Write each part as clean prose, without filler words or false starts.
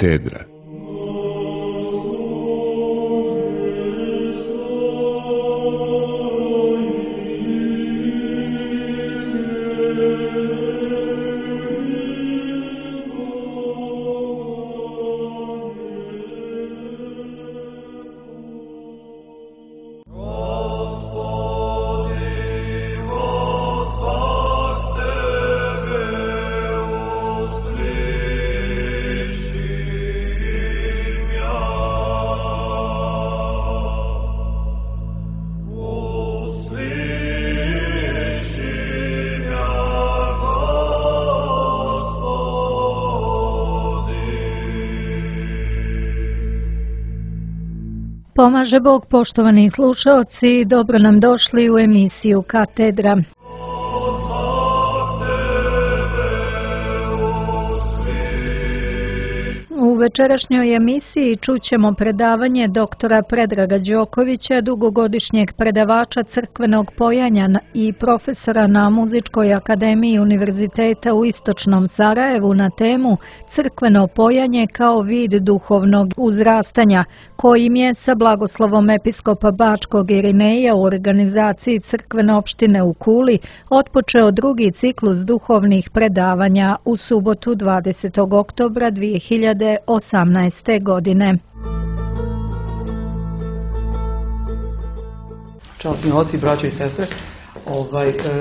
Katedra. Pomaže Bog, poštovani slušaoci, dobro nam došli u emisiju Katedra. U večerašnjoj emisiji čućemo predavanje doktora Predraga Đokovića, dugogodišnjeg predavača crkvenog pojanja i profesora na Muzičkoj akademiji Univerziteta u Istočnom Sarajevu na temu crkveno pojanje kao vid duhovnog uzrastanja, kojim je sa blagoslovom episkopa Bačkog Irineja u organizaciji crkvene opštine u Kuli otpočeo drugi ciklus duhovnih predavanja u subotu 20. oktobra 2018. godine. Časni oci, braće i sestre,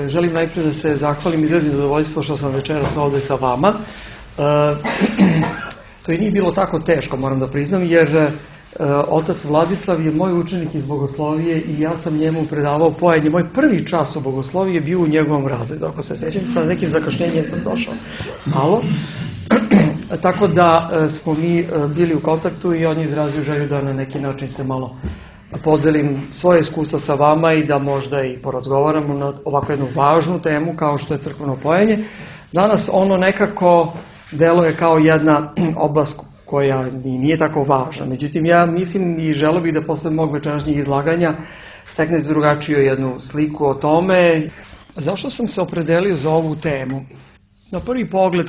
želim najprije da se zahvalim, izrazim zadovoljstvo što sam večeras ovdje sa vama. To i nije bilo tako teško, moram da priznam, jer otac Vladislav je moj učenik iz bogoslovije i ja sam njemu predavao pojanje. Moj prvi čas o bogosloviji je bio u njegovom razredu, ako se sjećam, sa nekim zakašnjenjem sam došao malo. Tako da smo mi bili u kontaktu i on je izrazio želju da na neki način se malo podelim svoje iskustva sa vama i da možda i porazgovaramo na ovako jednu važnu temu kao što je crkveno pojanje. Danas ono nekako deluje kao jedna oblast koja nije tako važna. Međutim, ja mislim i želeo bih da posle mog večerašnjeg izlaganja steknete drugačiju jednu sliku o tome. Zašto sam se opredelio za ovu temu? Na prvi pogled,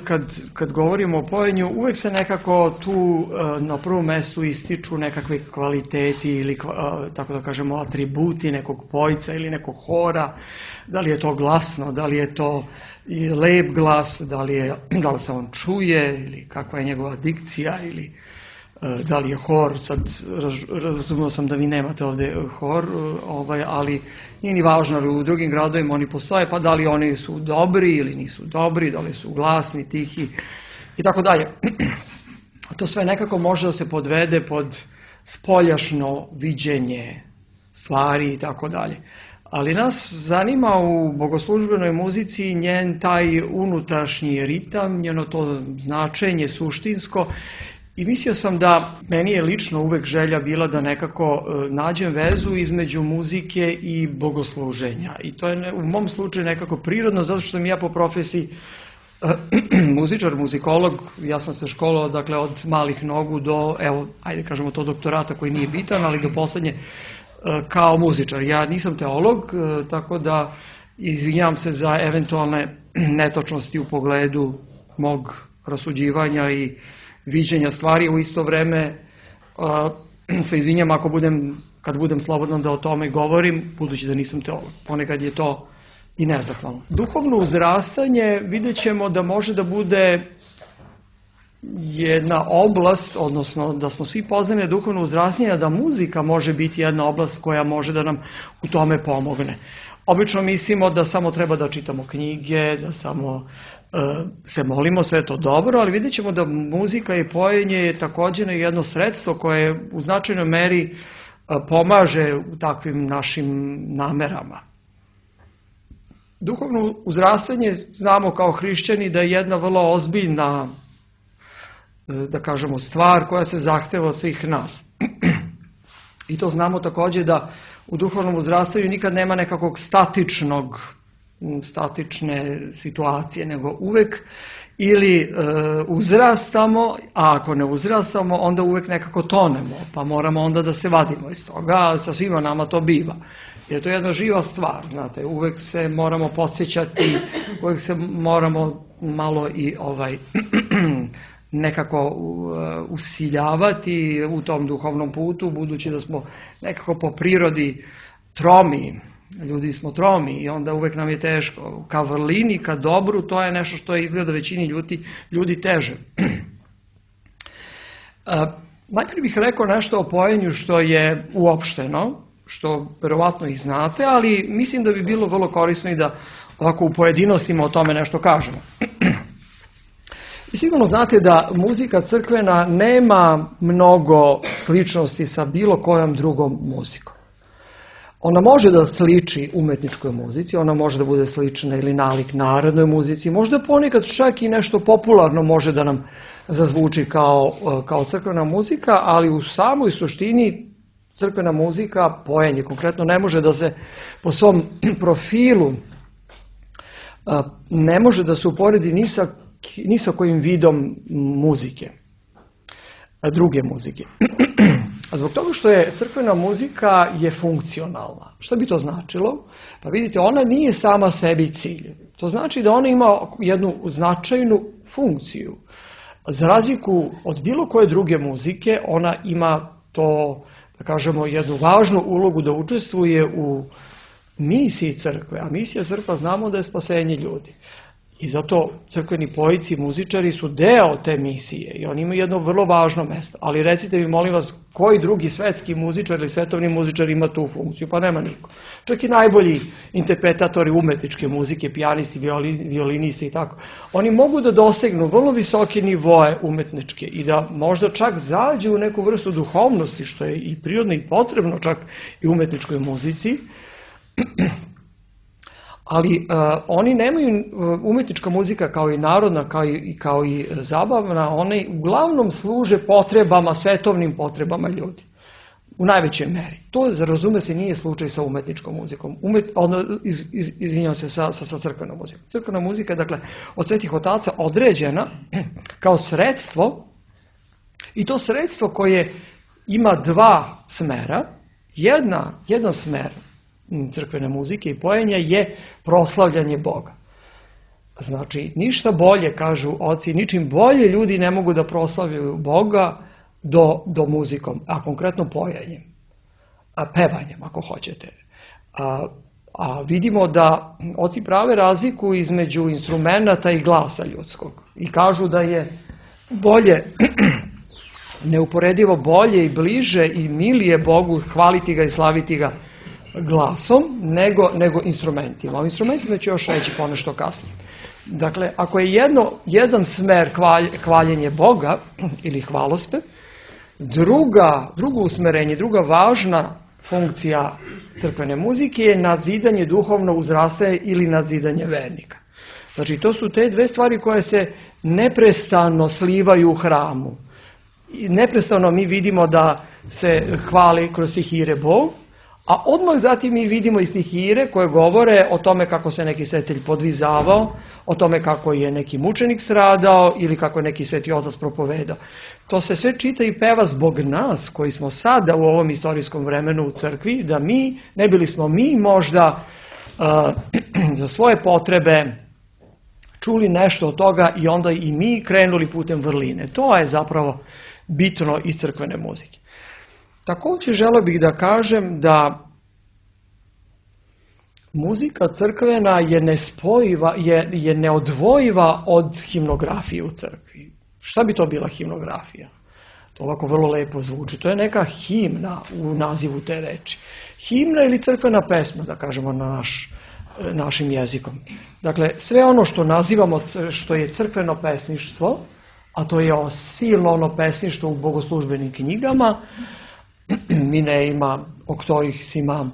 kad govorimo o pojenju, uvek se nekako tu na prvom mestu ističu nekakve kvaliteti ili, tako da kažemo, atributi nekog pojca ili nekog hora. Da li je to glasno, da li je to lep glas, da li se on čuje ili kakva je njegova dikcija ili da li je hor. Sad razumio sam da vi nemate ovdje hor, ali nije ni važno, ali u drugim gradovima oni postoje, pa da li oni su dobri ili nisu dobri, da li su glasni, tihi i tako dalje. To sve nekako može da se podvede pod spoljašno viđenje stvari i tako dalje. Ali nas zanima u bogoslužbenoj muzici njen taj unutrašnji ritam, njeno to značenje suštinsko. I mislio sam da meni je lično uvek želja bila da nekako nađem vezu između muzike i bogosluženja. I to je u mom slučaju nekako prirodno, zato što sam ja po profesiji muzičar, muzikolog. Ja sam se školovao, dakle, od malih nogu do, evo, ajde kažemo to doktorata koji nije bitan, ali do poslednje kao muzičar. Ja nisam teolog, tako da izvinjavam se za eventualne netočnosti u pogledu mog rasuđivanja i viđenja stvari. U isto vreme se izvinjam kad budem slobodan da o tome govorim, budući da nisam teolog. Ponekad je to i nezahvalno. Duhovno uzrastanje vidjet ćemo da može da bude jedna oblast, odnosno da smo svi pozvani na duhovno uzrastanje, da muzika može biti jedna oblast koja može da nam u tome pomogne. Obično mislimo da samo treba da čitamo knjige, da samo se molimo, sve je to dobro, ali vidjet ćemo da muzika i pojenje je također jedno sredstvo koje u značajnoj meri pomaže u takvim našim namerama. Duhovno uzrastanje znamo kao hrišćani da je jedna vrlo ozbiljna, da kažemo, stvar koja se zahteva od svih nas. I to znamo također da u duhovnom uzrastanju nikad nema nekakvog statične situacije, nego uvek ili uzrastamo, a ako ne uzrastamo, onda uvek nekako tonemo, pa moramo onda da se vadimo iz toga, a sa svima nama to biva. Jer to je jedna živa stvar, znate, uvek se moramo podsjećati, uvek se moramo malo i nekako usiljavati u tom duhovnom putu, budući da smo nekako po prirodi tromi. Ljudi smo tromi i onda uvek nam je teško. Ka vrlini, ka dobru, to je nešto što je izgleda većini ljudi teže. Najprije bih rekao nešto o pojenju što je uopšteno, što verovatno i znate, ali mislim da bi bilo vrlo korisno i da ovako u pojedinostima o tome nešto kažemo. I sigurno znate da muzika crkvena nema mnogo sličnosti sa bilo kojom drugom muzikom. Ona može da sliči umetničkoj muzici, ona može da bude slična ili nalik narodnoj muzici, možda ponekad čak i nešto popularno može da nam zazvuči kao crkvena muzika, ali u samoj suštini crkvena muzika, pojenje konkretno, ne može da se po svom profilu ne može da se uporedi ni sa kojim vidom muzike, druge muzike. A zbog toga što je crkvena muzika je funkcionalna. Šta bi to značilo? Pa vidite, ona nije sama sebi cilj. To znači da ona ima jednu značajnu funkciju. Za razliku od bilo koje druge muzike, ona ima to, da kažemo, jednu važnu ulogu da učestvuje u misiji crkve. A misija crkva znamo da je spasenje ljudi. I zato crkveni pojici, muzičari su deo te misije i oni imaju jedno vrlo važno mesto. Ali recite mi, molim vas, koji drugi svetski muzičar ili svetovni muzičar ima tu funkciju? Pa nema niko. Čak i najbolji interpretatori umetničke muzike, pijanisti, violinisti i tako. Oni mogu da dosegnu vrlo visoke nivoe umetničke i da možda čak zađu u neku vrstu duhovnosti, što je i prirodno i potrebno čak i umetničkoj muzici. Ali oni nemaju, umetnička muzika kao i narodna, kao i zabavna, one uglavnom služe potrebama, svetovnim potrebama ljudi. U najvećoj meri. To, razume se, nije slučaj sa umetničkom muzikom. Izvinjam se, sa crkvenom muzikom. Crkvena muzika je, dakle, od svetih otaca određena kao sredstvo, i to sredstvo koje ima dva smera. Jedan smer crkvene muzike i pojenja je proslavljanje Boga. Znači, ništa bolje, kažu oci, ničim bolje ljudi ne mogu da proslavljaju Boga do muzikom, a konkretno pojenjem, pevanjem, ako hoćete. A vidimo da oci prave razliku između instrumenta i glasa ljudskog. I kažu da je bolje, neuporedivo bolje i bliže i milije Bogu hvaliti ga i slaviti ga glasom nego instrumentima. O instrumentima ću još reći ponešto kasnije. Dakle, ako je jedan smer hvaljenje Boga ili hvalospev, drugo usmerenje, druga važna funkcija crkvene muzike je nadzidanje duhovno uzrastanje ili nadzidanje vernika. Znači, to su te dve stvari koje se neprestano slivaju u hramu. I neprestano mi vidimo da se hvali kroz stihire Bog, a odmah zatim mi vidimo i stihire koje govore o tome kako se neki svetitelj podvizavao, o tome kako je neki mučenik stradao ili kako je neki sveti otac propovedao. To se sve čita i peva zbog nas koji smo sada u ovom istorijskom vremenu u crkvi, da mi, ne bili smo mi možda za svoje potrebe čuli nešto od toga i onda i mi krenuli putem vrline. To je zapravo bitno iz crkvene muzike. Također želeo bih da kažem da muzika crkvena je nespojiva, je neodvojiva od himnografije u crkvi. Šta bi to bila himnografija? To ovako vrlo lepo zvuči. To je neka himna u nazivu te reči. Himna ili crkvena pesma, da kažemo našim jezikom. Dakle, sve ono što nazivamo, što je crkveno pesništvo, a to je silno ono pesništvo u bogoslužbenim knjigama, Mineima, Oktoihsima,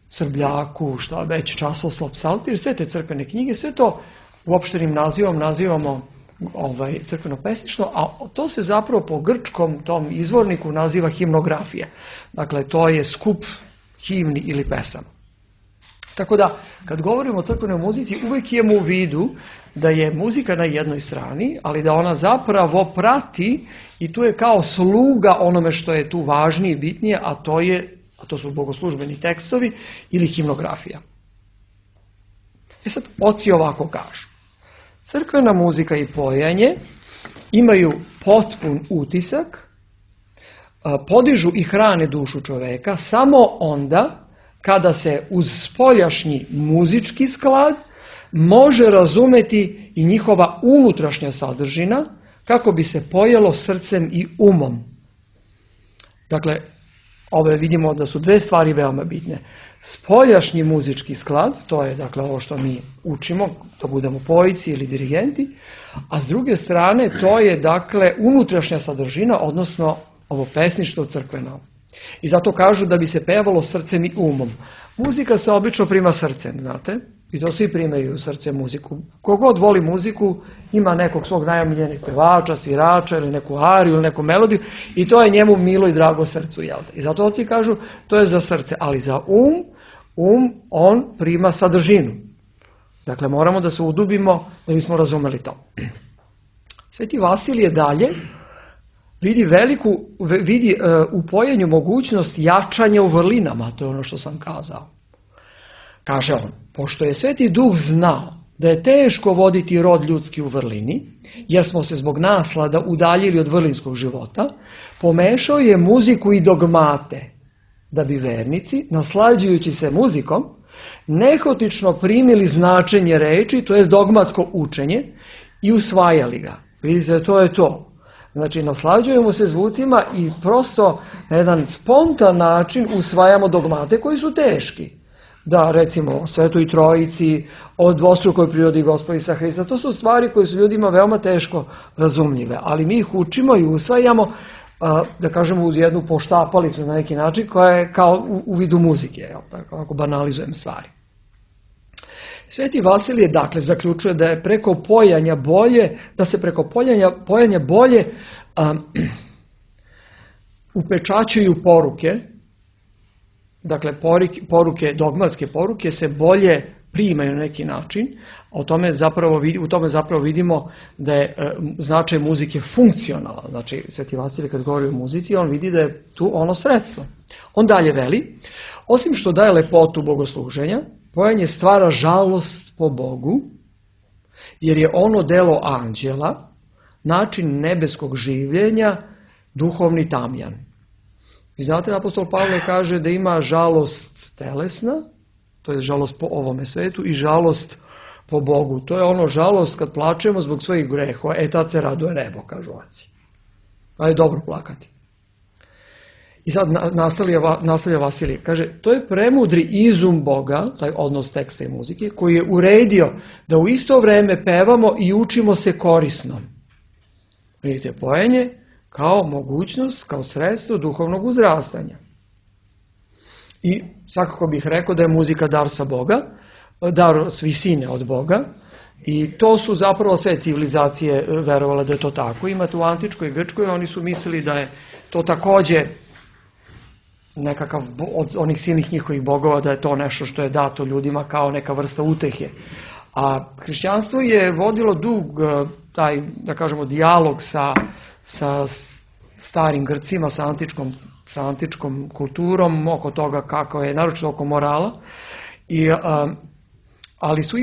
Srbljaku, šta već, Časoslov, Psaltir, sve te crkvene knjige, sve to uopštenim nazivom nazivamo crkveno pesništvo, a to se zapravo po grčkom tom izvorniku naziva himnografija. Dakle, to je skup himni ili pesama. Tako da, kad govorimo o crkvenoj muzici, uvijek imamo u vidu da je muzika na jednoj strani, ali da ona zapravo prati i tu je kao sluga onome što je tu važnije i bitnije, a to su bogoslužbeni tekstovi ili himnografija. Sad, oci ovako kažu. Crkvena muzika i pojenje imaju potpun utisak, podižu i hrane dušu čoveka samo onda kada se uz spoljašnji muzički sklad može razumeti i njihova unutrašnja sadržina kako bi se pojelo srcem i umom. Dakle, ove vidimo da su dve stvari veoma bitne. Spoljašnji muzički sklad, to je dakle ovo što mi učimo, to budemo pojici ili dirigenti, a s druge strane to je dakle unutrašnja sadržina, odnosno ovo pesništvo crkveno. I zato kažu da bi se pevalo srcem i umom. Muzika se obično prima srcem, znate, i to svi primaju srcem muziku. Kogod voli muziku ima nekog svog najomiljenog pevača, svirača ili neku ariju ili neku melodiju i to je njemu milo i drago srcu. Jel? I zato oci kažu to je za srce, ali za on prima sadržinu. Dakle, moramo da se udubimo da bismo razumeli to. Sveti Vasilije dalje vidi u pojenju mogućnost jačanja u vrlinama, to je ono što sam kazao. Kaže on, pošto je Sveti Duh znao da je teško voditi rod ljudski u vrlini, jer smo se zbog naslada udaljili od vrlinskog života, pomešao je muziku i dogmate, da bi vernici, naslađujući se muzikom, nehotično primili značenje reči, to je dogmatsko učenje, i usvajali ga. Vidite, to je to. Znači, naslađujemo se zvucima i prosto na jedan spontan način usvajamo dogmate koji su teški. Da, recimo, o Svetoj Trojici, o dvostrukoj prirodi Gospoda Isusa Hrista, to su stvari koje su ljudima veoma teško razumljive, ali mi ih učimo i usvajamo, da kažemo, uz jednu poštapalicu na neki način, koja je kao u vidu muzike, tako, ako banalizujem stvari. Sveti Vasilije, dakle, zaključuje da je preko pojanja bolje, da se preko pojanja bolje upečaćuju poruke, dakle, dogmatske poruke se bolje primaju na neki način, u tome zapravo vidimo da je značaj muzike funkcionalan. Znači, Sveti Vasilije kad govori o muzici, on vidi da je tu ono sredstvo. On dalje veli, osim što daje lepotu bogosluženja, pojanje stvara žalost po Bogu, jer je ono delo anđela, način nebeskog življenja, duhovni tamjan. Vi znate, apostol Pavle kaže da ima žalost telesna, to je žalost po ovome svetu, i žalost po Bogu. To je ono žalost kad plačemo zbog svojih grehova, tad se raduje nebo, kažu oci. A je dobro plakati. I sad nastavlja Vasilije, kaže, to je premudri izum Boga, taj odnos teksta i muzike, koji je uredio da u isto vreme pevamo i učimo se korisno. Vidite, pojenje kao mogućnost, kao sredstvo duhovnog uzrastanja. I svakako bih rekao da je muzika dar sa Boga, dar s visine od Boga, i to su zapravo sve civilizacije verovale da je to tako. Imate u antičkoj Grčkoj, oni su mislili da je to takođe nekakav od onih silnih njihovih bogova, da je to nešto što je dato ljudima kao neka vrsta utehe. A hrišćanstvo je vodilo dug taj, da kažemo, dijalog sa starim Grcima, sa antičkom kulturom, oko toga kako je, naročito oko morala, ali su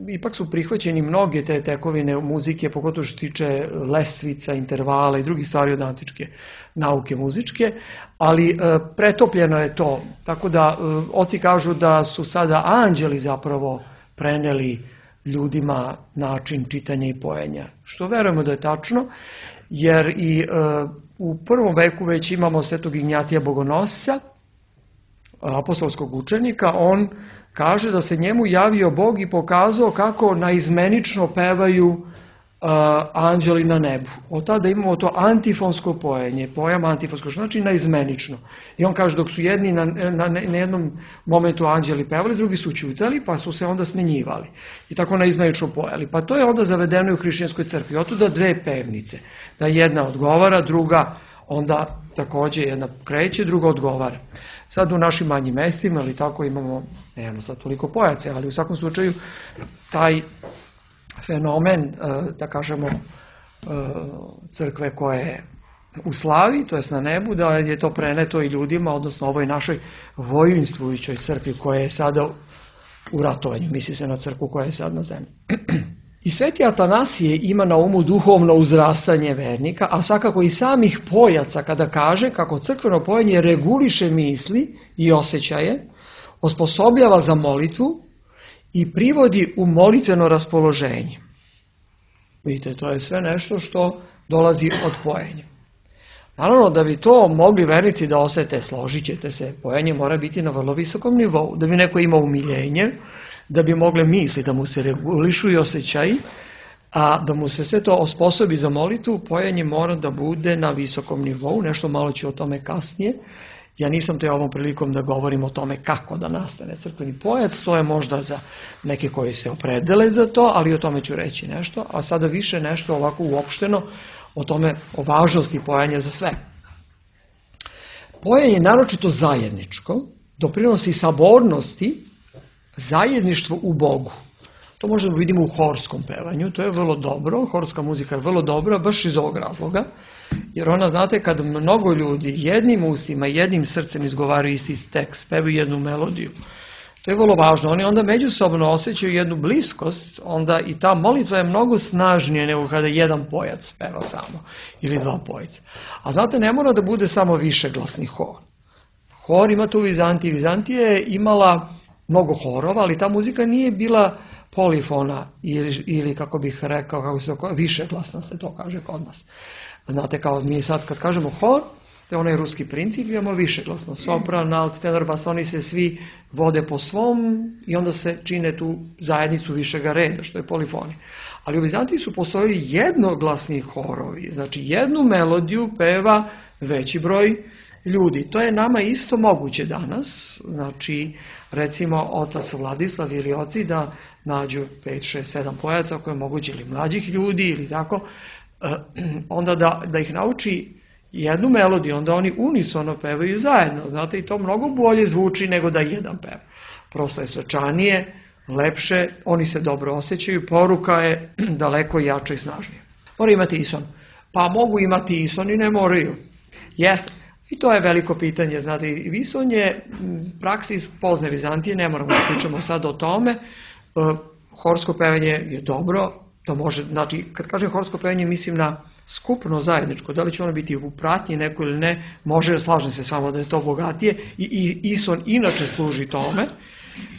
ipak su prihvaćeni mnoge te tekovine muzike, pogotovo što tiče lestvica, intervala i drugih stvari od antičke nauke muzičke, ali pretopljeno je to. Tako da oci kažu da su sada anđeli zapravo preneli ljudima način čitanja i pojenja. Što verujemo da je tačno, jer i u prvom veku već imamo Svetog Ignjatija Bogonosca, apostolskog učenika. On kaže da se njemu javio Bog i pokazao kako naizmenično pevaju anđeli na nebu. Od tada imamo to antifonsko pojenje, pojam antifonsko, što znači naizmenično. I on kaže dok su jedni na jednom momentu anđeli pevali, drugi su ćutali, pa su se onda smenjivali. I tako naizmenično pojeli. Pa to je onda zavedeno i u hrišćanskoj crkvi. Otuda dve pevnice. Da jedna odgovara, druga onda takođe jedna kreće, druga odgovara. Sad u našim manjim mestima, ali tako nemamo sad toliko pojace, ali u svakom slučaju taj fenomen, da kažemo, crkve koje je u slavi, to jest na nebu, da je to preneto i ljudima, odnosno ovoj našoj vojinstvujućoj crkvi koja je sada u ratovanju. Misli se na crkvu koja je sad na zemlji. I Sveti Atanasije ima na umu duhovno uzrastanje vernika, a svakako i samih pojaca kada kaže kako crkveno pojenje reguliše misli i osjećaje, osposobljava za molitvu i privodi u molitveno raspoloženje. Vidite, to je sve nešto što dolazi od pojenja. Naravno, da bi to mogli vernici da osete, složit ćete se, pojenje mora biti na vrlo visokom nivou, da bi neko imao umiljenje, da bi mogle misli da mu se regulišu i osjećaji, a da mu se sve to osposobi za molitvu, pojenje mora da bude na visokom nivou, nešto malo ću o tome kasnije. Ja nisam te ovom prilikom da govorim o tome kako da nastane crkveni pojac, to je možda za neke koji se opredele za to, ali o tome ću reći nešto, a sada više nešto ovako uopšteno o tome, o važnosti pojanja za sve. Pojanje je naročito zajedničko, doprinosi sabornosti, zajedništvu u Bogu. To možemo vidimo u horskom pevanju, to je vrlo dobro, horska muzika je vrlo dobra, baš iz ovog razloga, jer ona, znate, kad mnogo ljudi jednim ustima, jednim srcem izgovaraju isti tekst, pevaju jednu melodiju, to je vrlo važno. Oni onda međusobno osjećaju jednu bliskost, onda i ta molitva je mnogo snažnija nego kada jedan pojac peva samo, ili dva pojca. A znate, ne mora da bude samo višeglasni hor. Hor ima tu u Vizantiji. Vizantija je imala mnogo horova, ali ta muzika nije bila polifona ili kako bih rekao, kako se višeglasna se to kaže kod nas. Znate, kao mi sad kad kažemo hor, to je onaj ruski princip, imamo višeglasno, sopran, alt, tenor, bas, oni se svi vode po svom i onda se čine tu zajednicu višega reda, što je polifoni. Ali u Vizantiji su postojali jednoglasni horovi, znači jednu melodiju peva veći broj ljudi. To je nama isto moguće danas, znači recimo otac Vladislav ili oci da nađu 5, 6, 7 pojaca koje je moguće ili mlađih ljudi ili tako, onda da ih nauči jednu melodiju, onda oni unisono pevaju zajedno, znate, i to mnogo bolje zvuči nego da jedan peva. Prosto je svečanije, lepše, oni se dobro osjećaju, poruka je daleko jača i snažnija. Mora imati ison. Pa mogu imati ison i ne moraju. Jeste. I to je veliko pitanje, znate, i vison je praksi iz pozne Vizantije, ne moramo da pričamo sad o tome. Horsko pevanje je dobro, to može, znači, kad kažem horsko pevanje, mislim na skupno zajedničko, da li će ono biti u pratnji neko ili ne, može, slažem se s vama da je to bogatije, i ison inače služi tome,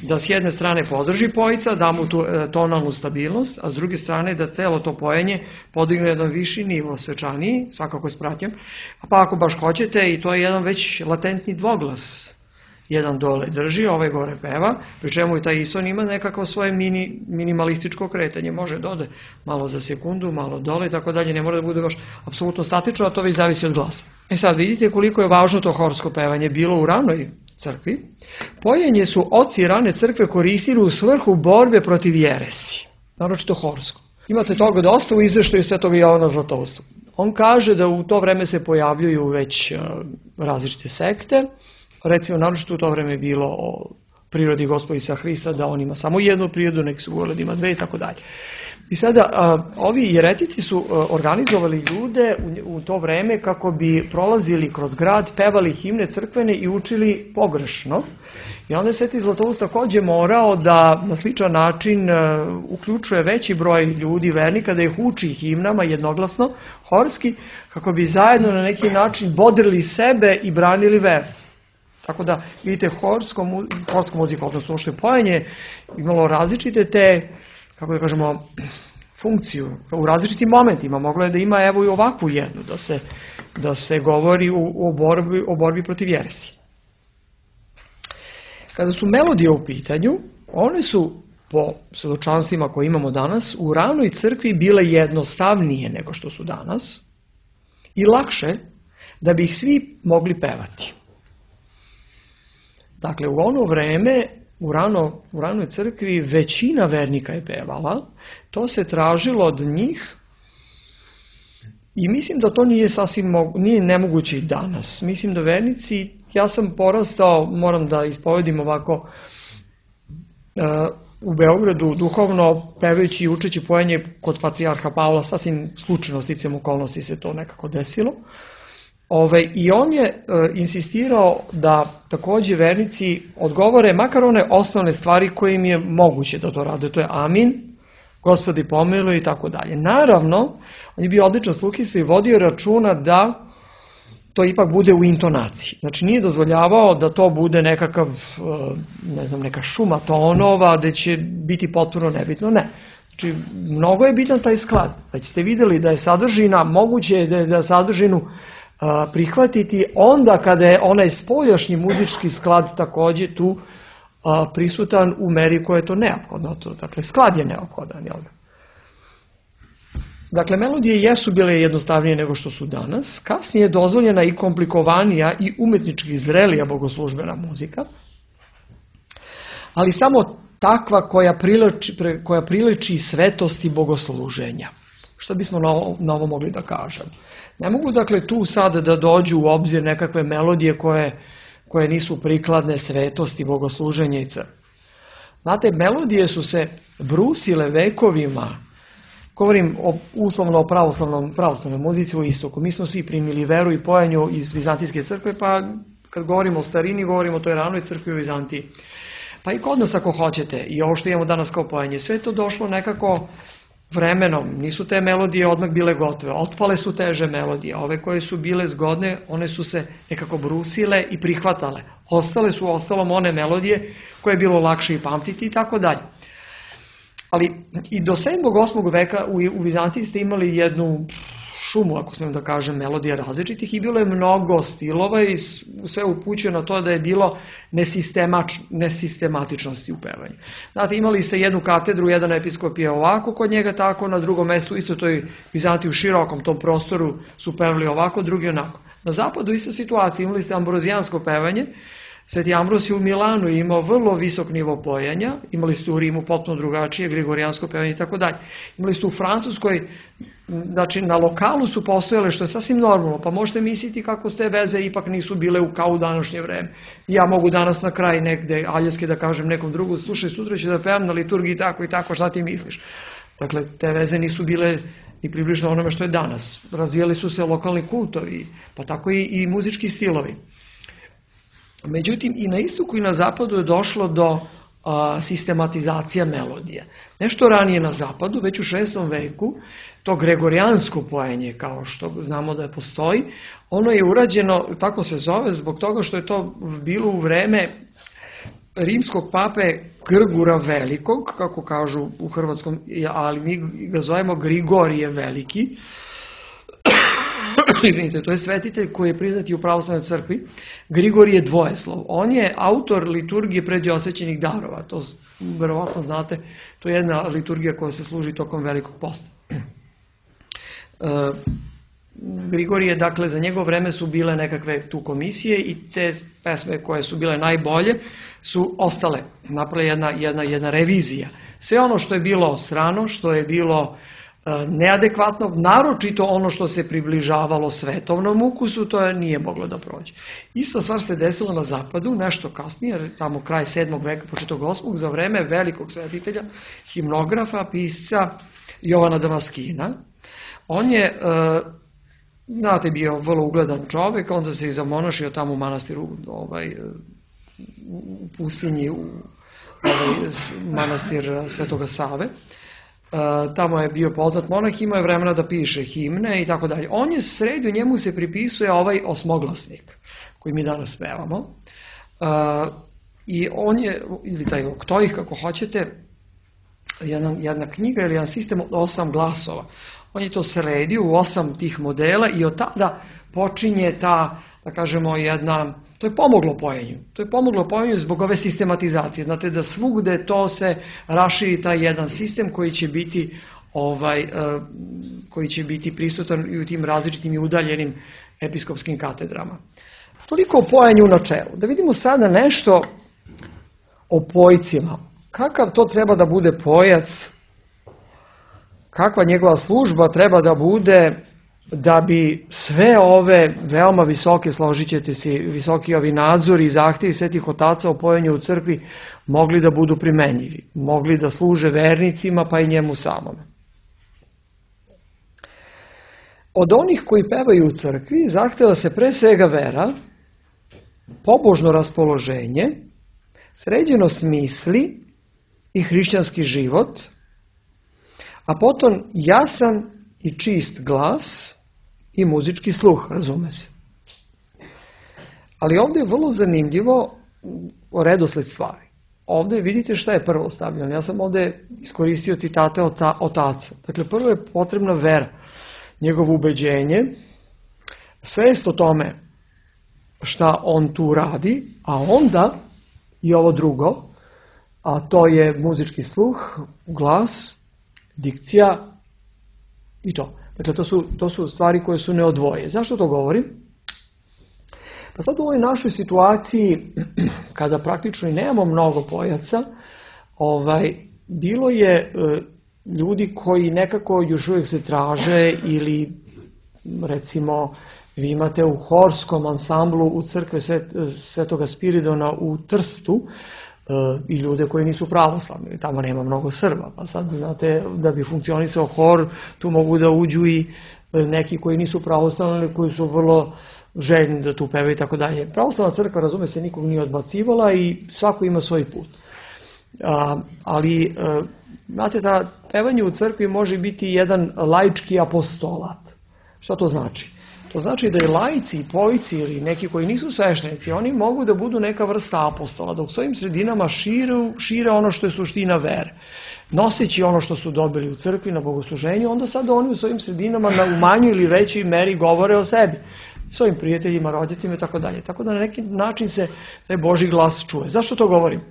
da s jedne strane podrži pojica, da mu tu tonalnu stabilnost, a s druge strane da celo to pojenje podigne jedan viši nivo, svečaniji, svakako s pratnjom, pa ako baš hoćete, i to je jedan već latentni dvoglas, jedan dole drži, ovaj gore peva, pri čemu i taj ison ima nekako svoje minimalističko kretanje, može da ode malo za sekundu, malo dole i tako dalje, ne mora da bude baš apsolutno statično, a to već zavisi od glasa. E sad vidite koliko je važno to horsko pevanje bilo u ranoj crkvi. Pojenje su oci rane crkve koristili u svrhu borbe protiv jeresi, naročito horsko. Imate toga dosta u izveštaju Svetog Jovana Zlatousta. On kaže da u to vreme se pojavljuju već različite sekte, recimo naročito u to vreme je bilo o prirodi Gospoda Isusa Hrista, da on ima samo jednu prirodu, neki su govorili da ima dve i tako dalje. I sada ovi jeretici su organizovali ljude u to vreme kako bi prolazili kroz grad, pevali himne crkvene i učili pogrešno. I onda je Sveti Zlatoust također morao da na sličan način uključuje veći broj ljudi, vernika, da ih uči himnama jednoglasno, horski, kako bi zajedno na neki način bodrili sebe i branili veru. Tako da, vidite, horsko muzika, odnosno što je pojenje, imalo različite te, kako da kažemo, funkciju u različitim momentima. Moglo je da ima evo i ovakvu jednu, da se govori o borbi protiv jeresi. Kada su melodije u pitanju, one su po svedočanstvima koje imamo danas u ranoj crkvi bile jednostavnije nego što su danas i lakše da bi ih svi mogli pevati. Dakle, u ono vreme, u ranoj crkvi, većina vernika je pevala, to se tražilo od njih i mislim da to nije nemoguće i danas. Mislim da vernici, ja sam porastao, moram da ispovedim ovako, u Beogradu duhovno pevajući i učeći pojenje kod patrijarha Pavla, sasvim slučajno sticajem okolnosti se to nekako desilo. I on je insistirao da također vernici odgovore makar one osnovne stvari koje im je moguće da to rade. To je amin, Gospodi pomiluj i tako dalje. Naravno, on je bio odličan sluhista i vodio računa da to ipak bude u intonaciji. Znači nije dozvoljavao da to bude nekakav, ne znam, neka šuma tonova da će biti potpuno nebitno. Ne. Znači mnogo je bitan taj sklad. Već ste vidjeli da je sadržina, moguće je da sadržinu prihvatiti onda kada je onaj spoljašnji muzički sklad također tu prisutan u meri koja je to neophodno. Dakle, sklad je neophodan. Jel? Dakle, melodije jesu bile jednostavnije nego što su danas. Kasnije je dozvoljena i komplikovanija i umetnički zrelija bogoslužbena muzika, ali samo takva koja priliči svetosti bogosluženja. Što bismo na ovo mogli da kažem? Ne mogu dakle tu sad da dođu u obzir nekakve melodije koje nisu prikladne svetosti bogosluženja i crkve. Znate, melodije su se brusile vekovima. Govorim uslovno o pravoslavnoj muzici u istoku. Mi smo svi primili veru i pojanju iz Vizantijske crkve, pa kad govorimo o starini, govorimo o toj ranoj crkvi u Vizantiji. Pa i kod nas ako hoćete, i ovo što imamo danas kao pojanje, sve to došlo nekako vremenom. Nisu te melodije odmah bile gotove. Otpale su teže melodije. Ove koje su bile zgodne, one su se nekako brusile i prihvatale. Ostale su ostalom one melodije koje je bilo lakše i pamtiti i tako dalje. Ali i do 7. 8. veka u Vizantiji ste imali jednu šumu, ako smijem da kažem, melodija različitih i bilo je mnogo stilova i sve upućuje na to da je bilo nesistematičnosti u pevanju. Znate, imali ste jednu katedru, jedan episkop je ovako kod njega tako, na drugom mestu isto toj Vizantiji u širokom tom prostoru su pevali ovako, drugi onako. Na zapadu ista situacija, imali ste ambrozijansko pevanje. Sveti Ambrosije u Milanu je imao vrlo visok nivo pojanja, imali ste u Rimu potpuno drugačije, grigorijansko pevanje i tako dalje. Imali ste u Francuskoj, znači na lokalu su postojale, što je sasvim normalno, pa možete misliti kako te veze ipak nisu bile kao u današnje vreme. Ja mogu danas na kraj negde aljeske da kažem nekom drugom, slušaj, sutra ću da pevam na liturgiji tako i tako, šta ti misliš? Dakle, te veze nisu bile ni približno onome što je danas. Razvijali su se lokalni kultovi, pa tako i muzički stilovi. Međutim, i na istoku i na zapadu je došlo do sistematizacija melodija. Nešto ranije na zapadu, već u 6. veku, to gregorijansko pojenje, kao što znamo da postoji, ono je urađeno, tako se zove, zbog toga što je to bilo u vreme rimskog pape Grgura Velikog, kako kažu u hrvatskom, ali mi ga zovemo Grigorije Veliki. Izvinite, to je svetitelj koji je priznati u pravoslavnoj crkvi. Grigorije Dvojeslov. On je autor liturgije predosvećenih darova. To verovatno znate, to je jedna liturgija koja se služi tokom Velikog posta. Grigorije, dakle, za njegovo vreme su bile nekakve tu komisije i te pesme koje su bile najbolje su ostale. Napravila jedna revizija. Sve ono što je bilo strano, što je bilo neadekvatno, naročito ono što se približavalo svetovnom ukusu, to nije moglo da prođe. Ista stvar se desila na zapadu, nešto kasnije, tamo kraj 7. veka, početak 8. za vreme velikog svetitelja, himnografa, pisca Jovana Damaskina. On je, znate, bio vrlo ugledan čovjek, onda se i zamonašio tamo u manastiru, u pustinji, u manastir Svetoga Save. Tamo je bio poznat monah, imao je vremena da piše himne i tako dalje. On je sredio, njemu se pripisuje ovaj osmoglasnik koji mi danas pevamo. I on je, ili taj oktoih kako hoćete, jedna knjiga ili jedan sistem od 8 glasova. On je to sredio u 8 tih modela i od tada počinje ta, da kažemo, to je pomoglo pojenju. To je pomoglo pojenju zbog ove sistematizacije. Znate da svugde to se raširi taj jedan sistem koji će biti prisutan i u tim različitim i udaljenim episkopskim katedrama. Toliko o pojenju u načelu. Da vidimo sada nešto o pojcima. Kakav to treba da bude pojac? Kakva njegova služba treba da bude da bi sve ove veoma visoke, složit ćete se, visoki ovi nadzori i zahtjevi svetih otaca o pojenju u crkvi mogli da budu primenjivi, mogli da služe vernicima pa i njemu samome. Od onih koji pevaju u crkvi zahtjeva se pre svega vera, pobožno raspoloženje, sređenost misli i hrišćanski život, a potom jasan i čist glas i muzički sluh, razume se. Ali ovdje je vrlo zanimljivo redosled stvari. Ovdje vidite šta je prvo stavljeno. Ja sam ovdje iskoristio citate otaca. Dakle, prvo je potrebna vera, njegovo ubeđenje, svest o tome šta on tu radi, a onda i ovo drugo, a to je muzički sluh, glas, dikcija i to. Dakle, to su stvari koje su neodvoje. Zašto to govorim? Pa sad u ovoj našoj situaciji, kada praktično i nemamo mnogo pojaca, bilo je ljudi koji nekako još uvijek se traže ili recimo vi imate u horskom ansamblu u crkve Svetoga Spiridona u Trstu i ljude koji nisu pravoslavni, tamo nema mnogo Srba, pa sad znate da bi funkcionisao hor, tu mogu da uđu i neki koji nisu pravoslavni, koji su vrlo željni da tu pevaju i tako dalje. Pravoslavna crkva, razume se, nikog nije odbacivala i svako ima svoj put. Ali, znate, da pevanje u crkvi može biti jedan laički apostolat. Što to znači? To znači da i laici, i pojci ili neki koji nisu sveštenici, oni mogu da budu neka vrsta apostola, da u svojim sredinama šire ono što je suština vere. Noseći ono što su dobili u crkvi na bogosluženju, onda sad oni u svojim sredinama u manjoj ili većoj meri govore o sebi, svojim prijateljima, roditeljima i tako dalje. Tako da na neki način se taj Božji glas čuje. Zašto to govorim?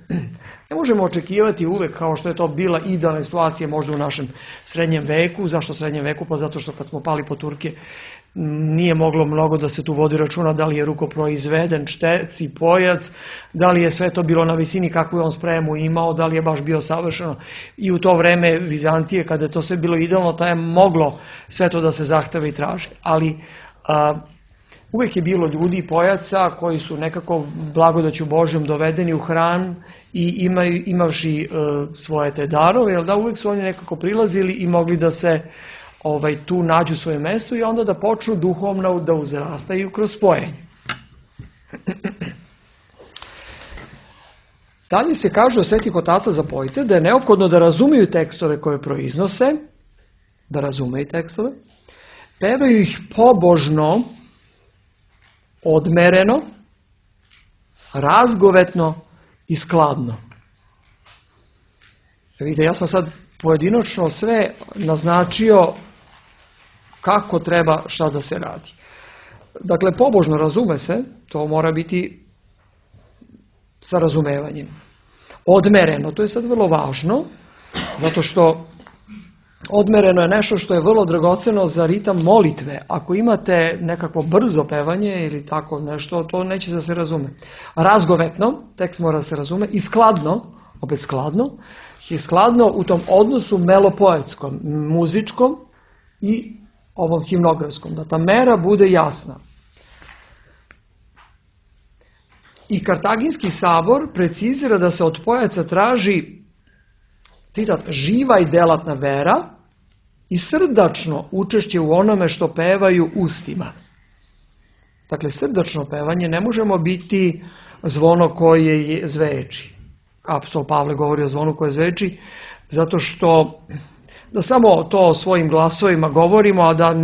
Ne možemo očekivati uvek kao što je to bila idealna situacija možda u našem srednjem veku. Zašto srednjem veku? Pa zato što kad smo pali po Turke nije moglo mnogo da se tu vodi računa da li je rukoproizveden štec i pojac, da li je sve to bilo na visini kakvu je on spremu imao, da li je baš bio savršeno. I u to vreme Vizantije, kada je to sve bilo idealno, ta je moglo sve to da se zahteva i traži. Ali uvijek je bilo ljudi i pojaca koji su nekako blagodaću Božjom dovedeni u hram i imavši svoje te darove, jer da uvijek su oni nekako prilazili i mogli da se tu nađu svoje mjesto i onda da počnu duhovno da uzrastaju kroz spojenje. Dalje se kaže od svetih otaca za pojce da je neophodno da razumiju tekstove koje proiznose, da razumeju tekstove, pevaju ih pobožno, odmereno, razgovetno i skladno. Vidite, ja sam sad pojedinačno sve naznačio kako treba šta da se radi. Dakle, pobožno, razume se, to mora biti sa razumevanjem. Odmereno, to je sad vrlo važno, zato što odmereno je nešto što je vrlo dragoceno za ritam molitve. Ako imate nekako brzo pevanje ili tako nešto, to neće da se razume. Razgovetno, tekst mora da se razume, i skladno, opet skladno, je skladno u tom odnosu melopoetskom, muzičkom i ovom himnografskom, da ta mera bude jasna. I Kartaginski sabor precizira da se od pojaca traži, citat, živa i delatna vera i srdačno učešće u onome što pevaju ustima. Dakle, srdačno pevanje ne možemo biti zvono koje zveči. Apostol Pavle govori o zvonu koje zveči, zato što da samo to svojim glasovima govorimo, a da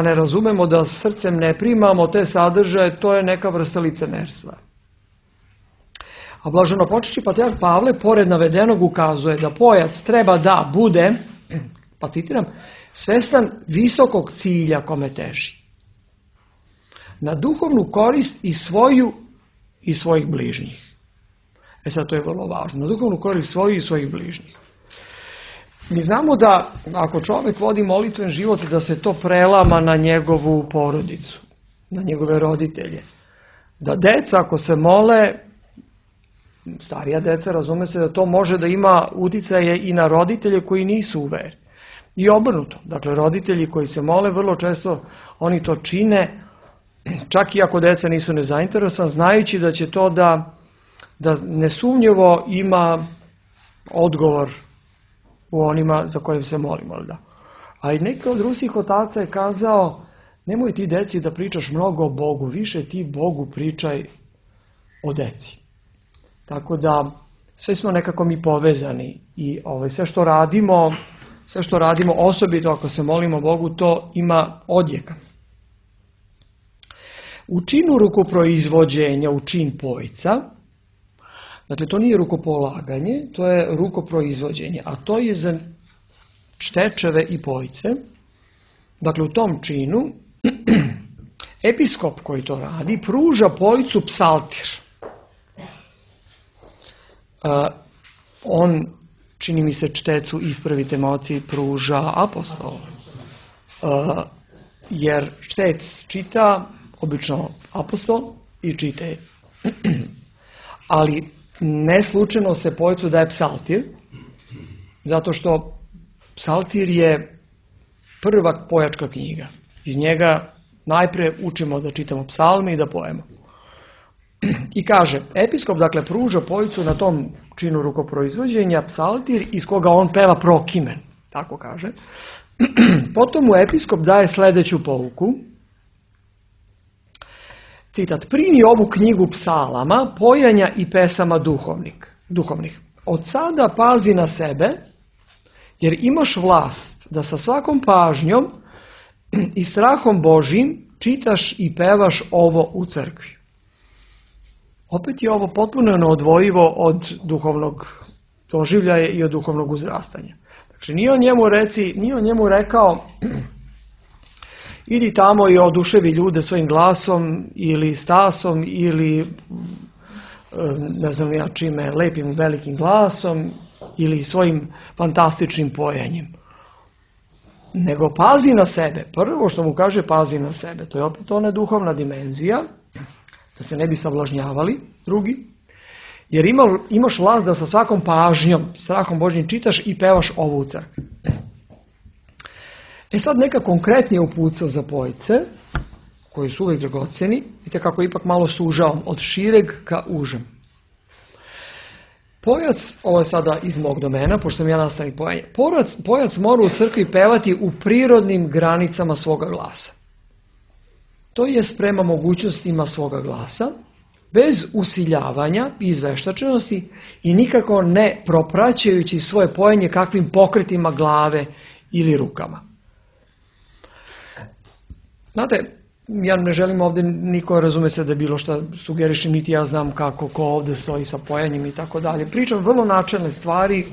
ne razumemo, da srcem ne primamo te sadržaje, to je neka vrsta licemerstva. A blaženopočivši patrijarh Pavle, pored navedenog, ukazuje da pojac treba da bude, pa citiram, svestan visokog cilja kome teži. Na duhovnu korist i svoju i svojih bližnjih. Sad to je vrlo važno. Na duhovnu korist svoju i svojih bližnjih. Mi znamo da ako čovjek vodi molitven život, da se to prelama na njegovu porodicu, na njegove roditelje. Da deca ako se mole, starija deca, razume se da to može da ima uticaje i na roditelje koji nisu u veri. I obrnuto. Dakle, roditelji koji se mole, vrlo često oni to čine, čak i ako deca nisu nezainteresovani, znajući da će to da nesumnjivo ima odgovor u onima za kojim se molimo. Da? A i neki od rusih otaca je kazao, nemoj ti deci da pričaš mnogo o Bogu, više ti Bogu pričaj o deci. Tako da sve smo nekako mi povezani i sve što radimo sve što radimo, osobito ako se molimo Bogu, to ima odjeka. U činu rukoproizvođenja, u čin pojca, dakle to nije rukopolaganje, to je rukoproizvođenje, a to je za štečeve i pojce. Dakle, u tom činu episkop koji to radi pruža pojcu psaltir. On, čini mi se, čtecu, ispravite moci, pruža apostol. Jer štec čita obično apostol i čite. Ali ne slučajno se pojcu daje psaltir, zato što psaltir je prva pojačka knjiga. Iz njega najprije učimo da čitamo psalme i da pojemo. I kaže, episkop dakle pruža pojcu na tom činu rukoproizvođenja psaltir iz koga on peva prokimen, tako kaže. Potom mu episkop daje sljedeću pouku. Citat, primi ovu knjigu psalama, pojanja i pesama duhovnih. Od sada pazi na sebe, jer imaš vlast da sa svakom pažnjom i strahom Božim čitaš i pevaš ovo u crkvi. Opet je ovo potpuno neodvojivo od duhovnog doživljaja i od duhovnog uzrastanja. Znači nije on njemu rekao idi tamo i oduševi ljude svojim glasom ili stasom ili ne znam ja čime, lepim velikim glasom ili svojim fantastičnim pojanjem. Nego pazi na sebe. Prvo što mu kaže pazi na sebe. To je opet ona duhovna dimenzija, da se ne bi savlažnjavali drugi. Jer imaš vlast da sa svakom pažnjom, strahom Božjim čitaš i pevaš ovo u crkvi. Sad neka konkretnije uputstva za pojce, koji su uvijek dragocjeni, vidite kako ipak malo sužavam od šireg ka užem. Pojac, ovo je sada iz mog domena, pošto sam ja nastavnik pojanja, pojac mora u crkvi pevati u prirodnim granicama svoga glasa. To jest prema mogućnostima svoga glasa, bez usiljavanja i izveštačenosti i nikako ne propraćajući svoje pojanje kakvim pokretima glave ili rukama. Znate, ja ne želim ovdje niko razume se da bilo što sugerišem, niti ja znam kako ko ovdje stoji sa pojanjem i tako dalje. Pričam vrlo načelne stvari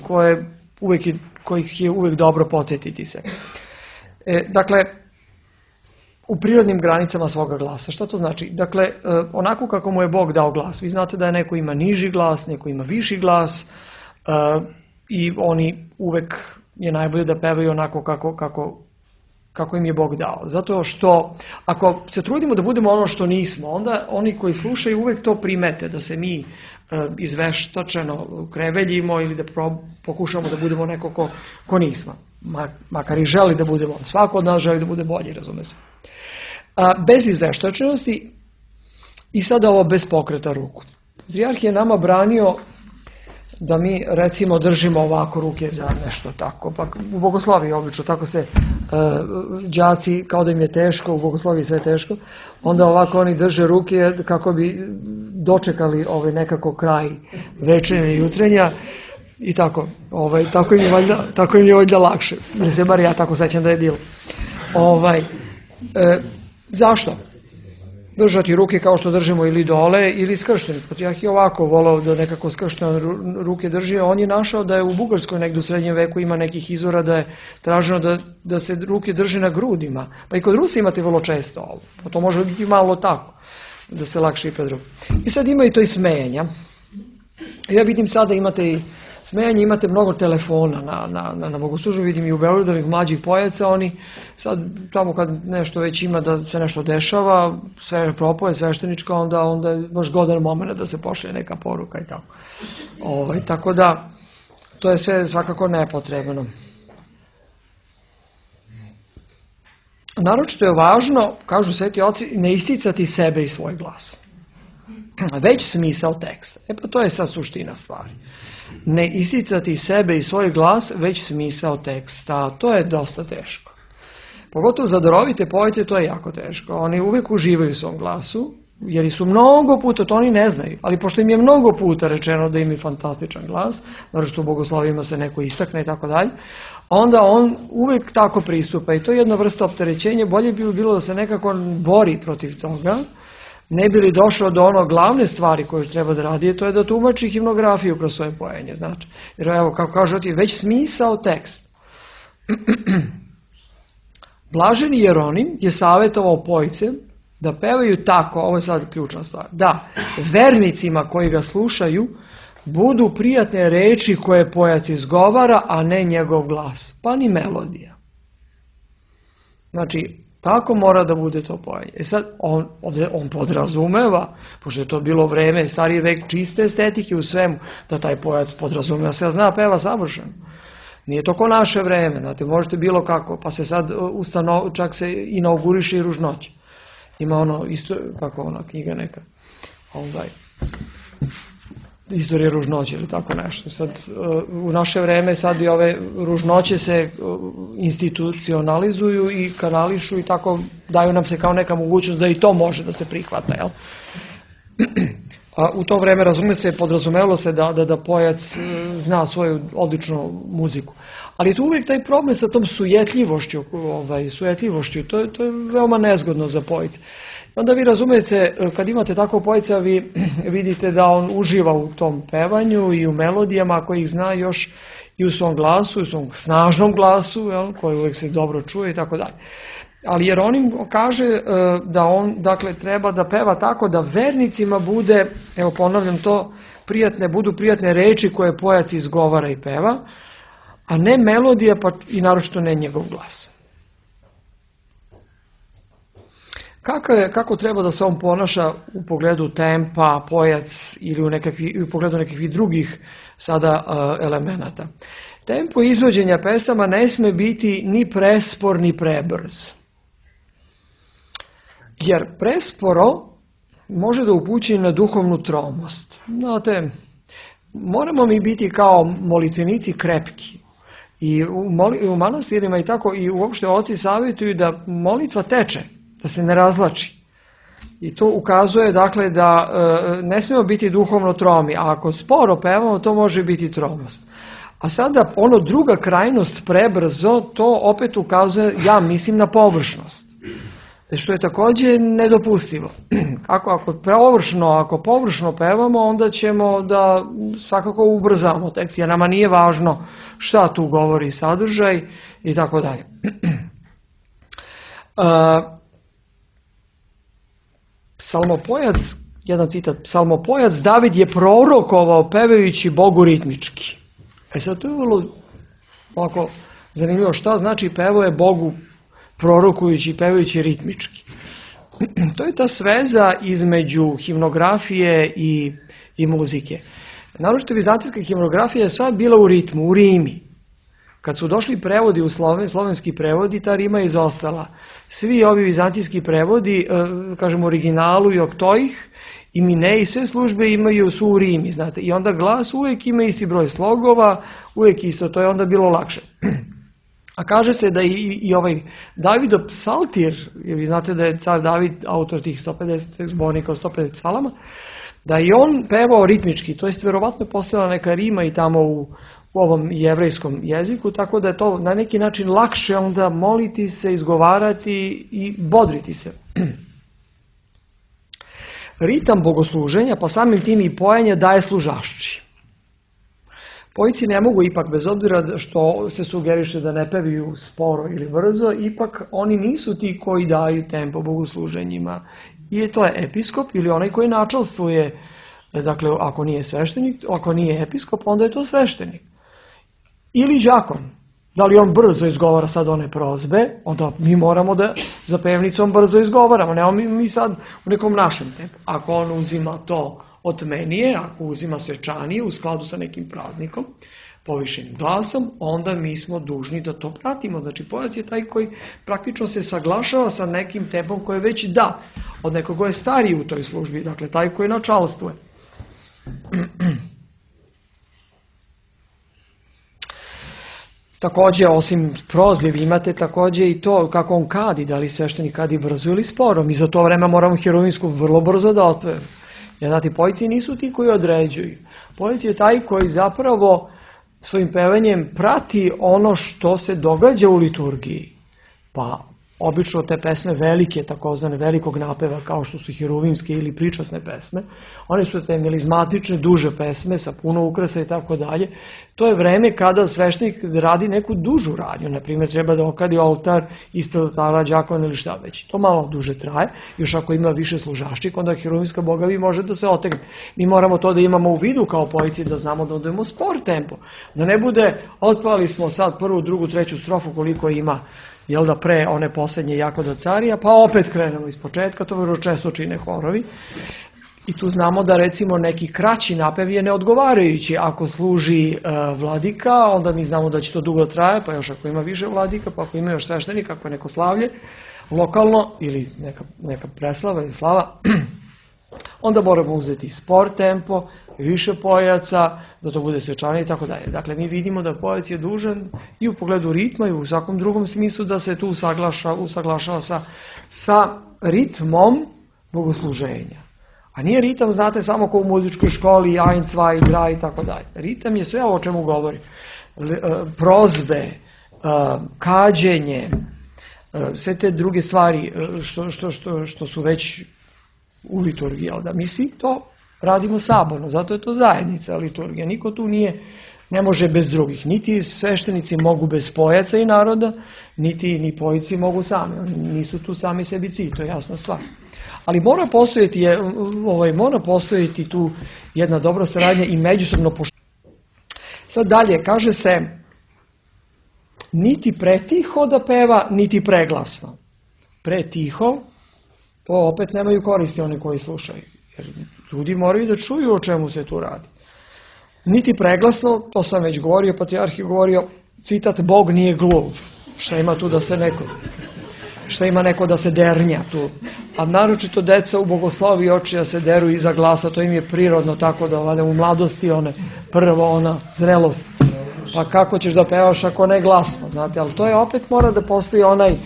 kojih je uvijek dobro podsjetiti se. Dakle, u prirodnim granicama svoga glasa. Što to znači? Dakle, onako kako mu je Bog dao glas. Vi znate da neko ima niži glas, neko ima viši glas i oni uvijek je najbolje da pevaju onako kako im je Bog dao. Zato što ako se trudimo da budemo ono što nismo, onda oni koji slušaju uvijek to primete, da se mi izveštačeno kreveljimo ili da pokušamo da budemo neko ko nismo. Makar i želi da budemo. Svako od nas želi da bude bolji, razume se. Bez izveštačenosti i sada ovo bez pokreta ruku. Patrijarh je nama branio da mi recimo držimo ovako ruke za nešto tako. Pa u bogosloviji obično tako se đaci, kao da im je teško, u bogosloviji sve teško, onda ovako oni drže ruke kako bi dočekali nekako kraj večernja i jutrenja i tako. Tako im je valjda lakše. Ili se bar ja tako sećam da je bilo. Zašto? Držati ruke kao što držimo ili dole ili skršteni. Patrijarh je ovako volao da nekako skrštene ruke drži. On je našao da je u Bugarskoj negdje u srednjem veku ima nekih izvora da je traženo da se ruke drže na grudima. Pa i kod Rusa imate vrlo često ovo. Pa to može biti malo tako, da se lakše i pred ruku. I sad ima i to i smejanja. Ja vidim sada imate i smejanje, imate mnogo telefona na bogoslužbu, vidim i u Beogradu ovih mlađih pojaca, oni sad tamo kad nešto već ima da se nešto dešava, sve propoje svešteničko, onda je baš godan moment da se pošalje neka poruka i tako. Tako da, to je sve svakako nepotrebno. Naročito je važno, kažu sveti oci, ne isticati sebe i svoj glas. Već smisao teksta. Pa to je sad suština stvari. Ne isticati sebe i svoj glas, već smisao teksta. To je dosta teško. Pogotovo za darovite pojce to je jako teško. Oni uvijek uživaju u svom glasu jer su mnogo puta, to oni ne znaju, ali pošto im je mnogo puta rečeno da imaju fantastičan glas, naravno što u bogoslovima se neko istakne i tako dalje, onda on uvijek tako pristupa i to je jedna vrsta opterećenja. Bolje bi bilo da se nekako bori protiv toga, ne bi li došao do ono glavne stvari koju treba da radi, to je da tumači himnografiju kroz svoje pojenje. Znači, jer evo, kako kaže ti, već smisao tekst. Blaženi Jeronim je savjetovao pojce da pevaju tako, ovo je sad ključna stvar, da vernicima koji ga slušaju budu prijatne reči koje pojac izgovara, a ne njegov glas, pa ni melodija. Znači, tako mora da bude to pojenje. Sad, on podrazumeva, pošto je to bilo vreme, stariji vek čiste estetike u svemu, da taj pojac podrazumeva se zna peva savršeno. Nije to ko naše vreme, znate, možete bilo kako, pa se sad čak se inauguriše i ružnoće. Ima ono, isto, kako ona knjiga neka, istorija ružnoće ili tako nešto. Sad, u naše vreme sad i ove ružnoće se institucionalizuju i kanališu i tako daju nam se kao neka mogućnost da i to može da se prihvata, jel? A u to vreme, podrazumevalo se da pojac zna svoju odličnu muziku. Ali je tu uvijek taj problem sa tom sujetljivošću, to je veoma nezgodno za pojce. Onda vi razumijete, kad imate tako pojca, vi vidite da on uživa u tom pevanju i u melodijama koje ih zna još i u svom glasu, u svom snažnom glasu, jel, koji uvijek se dobro čuje i tako dalje. Ali Jeronim kaže da on, dakle, treba da peva tako da vernicima bude, evo ponavljam to, budu prijatne reči koje pojac izgovara i peva, a ne melodija, pa i naročito ne njegov glas. Kako treba da se on ponaša u pogledu tempa, pojac ili u pogledu nekakvih drugih sada elemenata? Tempo izvođenja pesama ne sme biti ni prespor ni prebrz. Jer presporo može da upući na duhovnu tromost. Znate, moramo mi biti kao molitvenici krepki. I u manastirima i tako i uopšte oci savjetuju da molitva teče, da se ne razlači. I to ukazuje, dakle, da ne smijemo biti duhovno tromi, a ako sporo pevamo, to može biti tromost. A sada druga krajnost, prebrzo, to opet ukazuje, ja mislim, na površnost. Što je također nedopustivo. Ako površno pevamo, onda ćemo da svakako ubrzamo tekst, jer nama nije važno šta tu govori sadržaj i tako dalje. Psalmopojac, jedan citat, psalmopojac David je prorokovao pevajući Bogu ritmički. Sad to je vrlo ovako zanimljivo, šta znači pevao je Bogu prorokujući i pevajući ritmički. To je ta sveza između himnografije i muzike. Naročito vizantijska himnografija je sad bila u ritmu, u rimi. Kad su došli prevodi u slovenski prevodi, ta rima je izostala. Svi ovi vizantijski prevodi, kažem originalu i oktojih, i mineji, sve službe su u rimi, znate. I onda glas uvijek ima isti broj slogova, uvijek isto, to je onda bilo lakše. A kaže se da i ovaj Davidov psaltir, jer vi znate da je car David autor tih 150 zbornika od 150 psalama, da i on pevao ritmički, to jest vjerovatno postojala neka rima i tamo u ovom jevrejskom jeziku, tako da je to na neki način lakše onda moliti se, izgovarati i bodriti se. Ritam bogosluženja, pa samim tim i pojenje daje služašći. Pojci ne mogu ipak, bez obzira što se sugeriše da ne pevaju sporo ili brzo, ipak oni nisu ti koji daju tempo bogosluženjima. I to je episkop ili onaj koji načelstvuje, dakle ako nije sveštenik, ako nije episkop, onda je to sveštenik. Ili đakon. Da li on brzo izgovara sad one prozbe, onda mi moramo da za pevnicom brzo izgovaramo. Ne mi sad u nekom našem tempu. Ako on uzima to od menije, ako uzima svečanije u skladu sa nekim praznikom, povišenim glasom, onda mi smo dužni da to pratimo. Znači, pojac je taj koji praktično se saglašava sa nekim tempom koji već da, od nekog ko je stariji u toj službi, dakle, taj koji načalstvuje. Također, osim prozbe, vi imate također i to kako on kadi, da li sveštenik kadi brzo ili sporo. Mi za to vreme moramo heroinsku vrlo brzo da otpevamo. Jer znate, pojici nisu ti koji određuju. Pojic je taj koji zapravo svojim pevanjem prati ono što se događa u liturgiji. Pa obično te pesme velike, takozvane velikog napeva, kao što su hiruvimske ili pričasne pesme, one su te melizmatične, duže pesme sa puno ukrasa i tako dalje. To je vreme kada sveštenik radi neku dužu radnju, na primjer treba da okadi oltar ispred oltara đakovan ili šta već. To malo duže traje, još ako ima više služaščika, onda hiruvimska bogavi može da se otegne. Mi moramo to da imamo u vidu kao pojici, da znamo da odemo spor tempo. Da ne bude, otpevali smo sad prvu, drugu, treću strofu koliko ima, jel da, pre one posljednje jako do carija, pa opet krenemo iz početka, to vrlo često čine horovi. I tu znamo da recimo neki kraći napev je neodgovarajući. Ako služi vladika, onda mi znamo da će to dugo traje, pa još ako ima više vladika, pa ako ima još sveštenika, ako je neko slavlje lokalno ili neka preslava ili slava, onda moramo uzeti spor tempo, više pojaca, da to bude svečanije i tako dalje. Dakle, mi vidimo da pojac je dužan i u pogledu ritma i u svakom drugom smislu da se tu usaglašava sa ritmom bogosluženja. A nije ritam, znate, samo kao u muzičkoj školi, ein, zwei, drei i tako dalje. Ritam je sve ovo o čemu govorim. Prozbe, kađenje, sve te druge stvari što su već u liturgiji, da mi svi to radimo saborno, zato je to zajednica liturgija. Niko tu ne može bez drugih. Niti sveštenici mogu bez pojaca i naroda, niti ni pojici mogu sami. Oni nisu tu sami sebi cilj, to je jasna stvar. Ali mora postojati tu jedna dobra saradnja i međusobno poštovanje. Sad dalje, kaže se, niti pretiho da peva, niti preglasno. Pretiho, to opet nemaju koristi oni koji slušaju. Jer ljudi moraju da čuju o čemu se tu radi. Niti preglasno, to sam već govorio, patrijarh je govorio, citat, Bog nije gluv. Šta ima tu da se neko da se dernja tu. A naročito deca u bogosloviji oči da se deru iza glasa, to im je prirodno tako da u mladosti ona zrelost. Pa kako ćeš da pevaš ako ne glasno, znate, ali to je opet mora da postoji onaj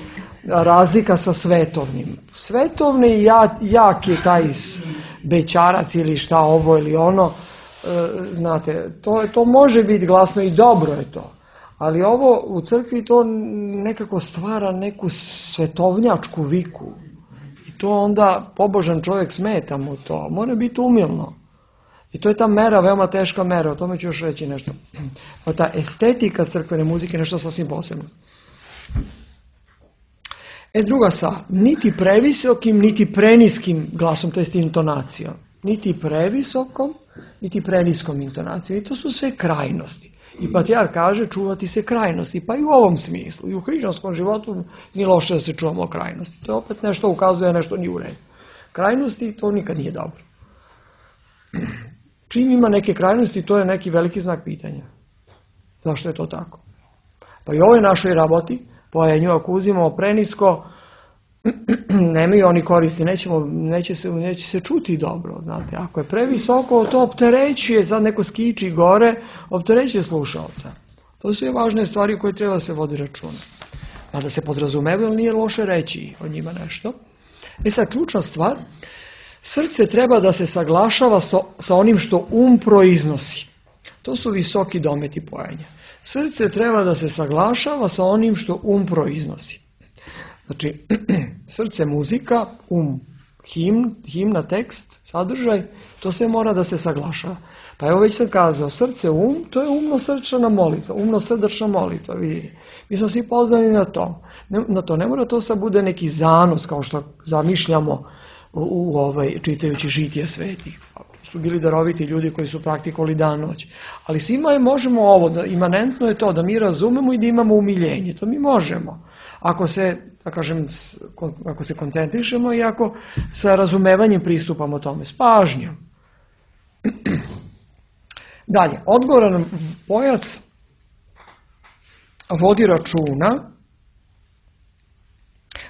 razlika sa svetovnim. Svetovni jak je taj bećarac ili šta ovo ili ono, znate, to može biti glasno i dobro je to. Ali ovo u crkvi to nekako stvara neku svetovnjačku viku. I to onda pobožan čovjek smeta mu to. Mora biti umilno. I to je ta mera, veoma teška mera. O tome ću još reći nešto. A ta estetika crkvene muzike je nešto sasvim posebno. Druga stvar. Niti previsokim, niti preniskim glasom, to jest intonacijom. Niti previsokom, niti preniskom intonacijom. I to su sve krajnosti. I patrijarh kaže čuvati se krajnosti, pa i u ovom smislu. I u hrišćanskom životu nije loše da se čuvamo krajnosti. To opet nešto ukazuje, nešto nije u redu. Krajnosti, to nikad nije dobro. Čim ima neke krajnosti, to je neki veliki znak pitanja. Zašto je to tako? Pa i u ovoj našoj raboti, pojenju, ako uzimamo prenisko, nemaju oni koristi, neće se čuti dobro, znate. Ako je previsoko, to opterećuje, sad neko skiči gore, opterećuje slušalca. To su je važne stvari koje treba se vodi računa. A da se podrazumeva, ali nije loše reći o njima nešto. Sad, ključna stvar, srce treba da se saglašava sa onim što proiznosi. To su visoki dometi pojenja. Srce treba da se saglašava sa onim što proiznosi. Znači, srce muzika, himna, tekst, sadržaj, to sve mora da se saglašava. Pa evo već sam kazao, srce, to je umno-srčana molitva, umno-srdačna molitva. Mi smo svi pozvani na to. Ne mora to sad bude neki zanos, kao što zamišljamo čitajući žitije svetih. Su bili daroviti ljudi koji su praktikovali dan noć. Ali svima možemo ovo, imanentno je to da mi razumemo i da imamo umiljenje. To mi možemo. Ako se koncentrišemo i ako sa razumevanjem pristupamo tome, s pažnjom. Dalje, odgovoran pojac vodi računa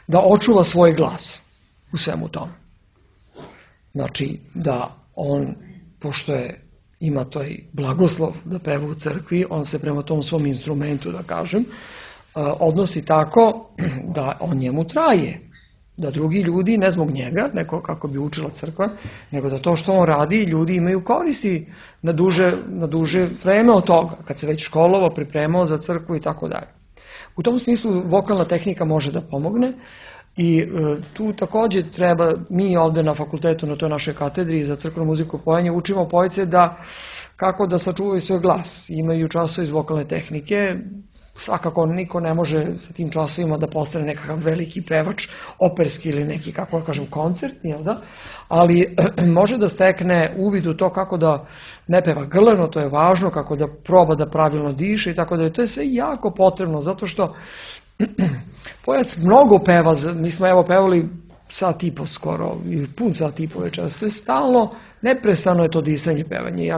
da očuva svoj glas u svemu tome. Znači, da on, pošto je ima taj blagoslov da peva u crkvi, on se prema tom svom instrumentu, da kažem, odnosi tako da on njemu traje. Da drugi ljudi, ne zbog njega, neko kako bi učila crkva, nego da to što on radi, ljudi imaju koristi na duže vreme od toga, kad se već školovao, pripremao za crkvu i tako dalje. U tom smislu vokalna tehnika može da pomogne i tu također treba, mi ovde na fakultetu, na toj našoj katedri za crkvenu muziku i pojanje, učimo pojce kako da sačuvaju svoj glas. Imaju časove iz vokalne tehnike, svakako niko ne može sa tim časovima da postane nekakav veliki pevač, operski ili neki, kako da kažem, koncertni, ali može da stekne uvid u to kako da ne peva grleno, to je važno, kako da proba da pravilno diše i tako da je to sve jako potrebno, zato što pojac mnogo peva, mi smo evo pevali sat i po skoro, ili pun sat i po večeras, to je stalno, neprestano je to disanje, pevanje. I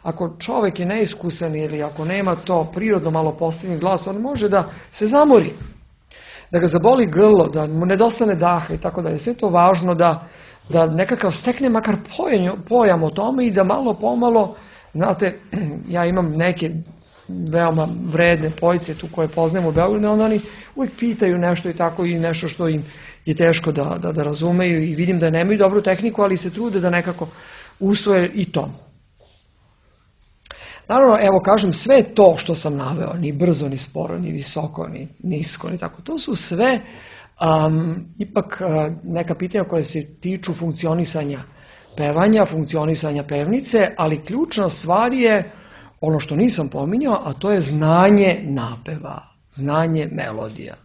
ako čovek je neiskusan ili ako nema to prirodno malo postavljen glas, on može da se zamori, da ga zaboli grlo, da mu nedostane daha i tako da je sve to važno da nekakav stekne makar pojam o tome i da malo pomalo, znate, ja imam neke veoma vredne pojce tu koje poznajemo u Beogradu, onda oni uvijek pitaju nešto i tako i nešto što im je teško da razumeju i vidim da nemaju dobru tehniku, ali se trude da nekako usvoje i to. Naravno, evo kažem, sve to što sam naveo, ni brzo, ni sporo, ni visoko, ni nisko, ni tako, to su sve ipak neka pitanja koje se tiču funkcionisanja pevanja, funkcionisanja pevnice, ali ključna stvar je ono što nisam pominjao, a to je znanje napeva, znanje melodija.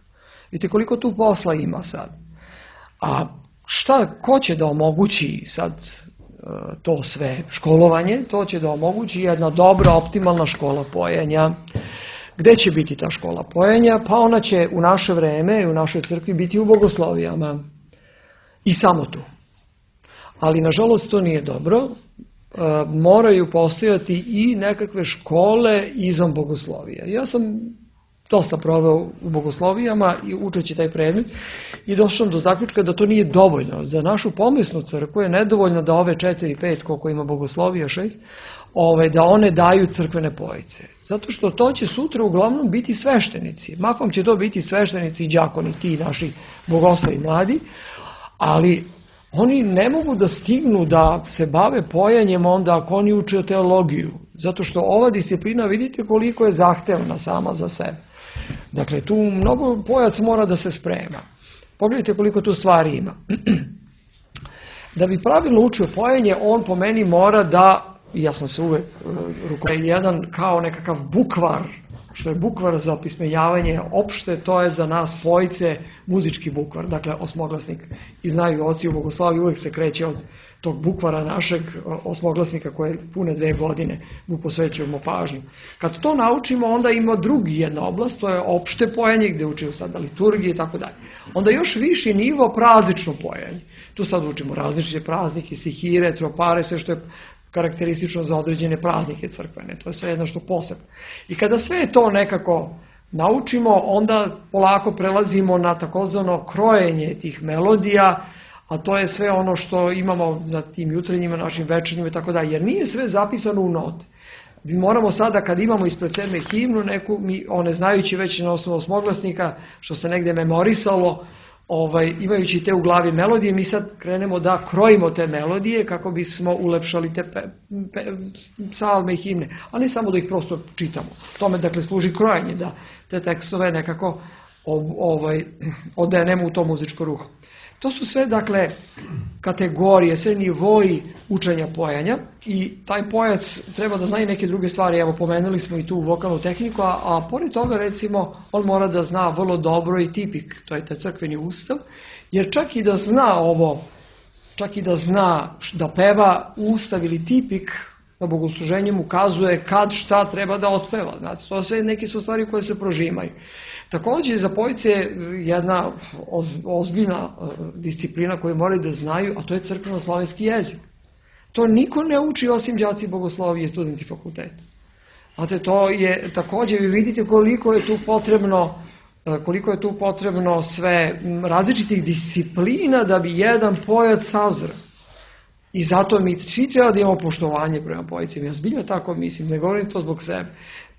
Vidite koliko tu posla ima sad. A ko će da omogući sad to sve školovanje? To će da omogući jedna dobra, optimalna škola pojenja. Gde će biti ta škola pojenja? Pa ona će u naše vreme i u našoj crkvi biti u bogoslovijama. I samo tu. Ali nažalost to nije dobro. Moraju postojati i nekakve škole izvan bogoslovija. Ja sam dosta proveo u bogoslovijama i učeći taj predmet i došao sam do zaključka da to nije dovoljno. Za našu pomesnu crkvu je nedovoljno da ove 4-5, koliko ima bogoslovija, 6, da one daju crkvene pojice. Zato što to će sutra uglavnom biti sveštenici. Mahom će to biti sveštenici i đakoni, ti naši bogoslovi mladi, ali oni ne mogu da stignu da se bave pojanjem onda ako oni uče teologiju. Zato što ova disciplina, vidite koliko je zahtevna sama za sebe. Dakle, tu mnogo pojac mora da se sprema. Pogledajte koliko tu stvari ima. Da bi pravilno učio pojanje, on po meni mora da, ja sam se uvek rukovodio, jedan kao nekakav bukvar, što je bukvar za opismenjavanje opšte, to je za nas pojice muzički bukvar, dakle osmoglasnik. I znaju oci u bogoslaviji, uvek se kreće od tog bukvara našeg osmoglasnika koje pune 2 godine mu posvećujemo pažnju. Kad to naučimo, onda ima drugi jedna oblast, to je opšte pojanje gde učimo sada liturgije i tako dalje. Onda još viši nivo praznično pojanje. Tu sad učimo različite praznike, stihire, tropare, sve što je karakteristično za određene praznike crkvene. To je sve jedno što posebno. I kada sve to nekako naučimo, onda polako prelazimo na takozvano krojenje tih melodija, a to je sve ono što imamo na tim jutrenjima, našim večernjima i tako dalje. Jer nije sve zapisano u note. Mi moramo sada, kad imamo ispred sebe himnu neku, one znajući već na osnovu osmoglasnika, što se negde memorisalo, imajući te u glavi melodije, mi sad krenemo da krojimo te melodije kako bismo ulepšali te psalme i himne, a ne samo da ih prosto čitamo. Tome dakle služi krojanje, da te tekstove nekako odenemo u to muzičko ruho. To su sve dakle kategorije, sve nivoji učenja pojanja i taj pojac treba da zna i neke druge stvari. Evo, pomenuli smo i tu vokalnu tehniku, a pored toga recimo on mora da zna vrlo dobro i tipik, to je taj crkveni ustav, jer čak i da zna ovo, čak i da zna da peva ustav ili tipik, na bogosluženju mu ukazuje kad šta treba da otpeva. Znači, to sve neke su stvari koje se prožimaju. Također za pojice jedna ozbiljna disciplina koju moraju da znaju, a to je crkveno-slovenski jezik. To niko ne uči osim đaci bogoslovije i studenti fakulteta. Znate, to je također, vi vidite koliko je tu potrebno sve različitih disciplina da bi jedan pojac sazreo. I zato mi svi treba da imamo poštovanje prema poetima. Ja zbiljno tako mislim, ne govorim to zbog sebe,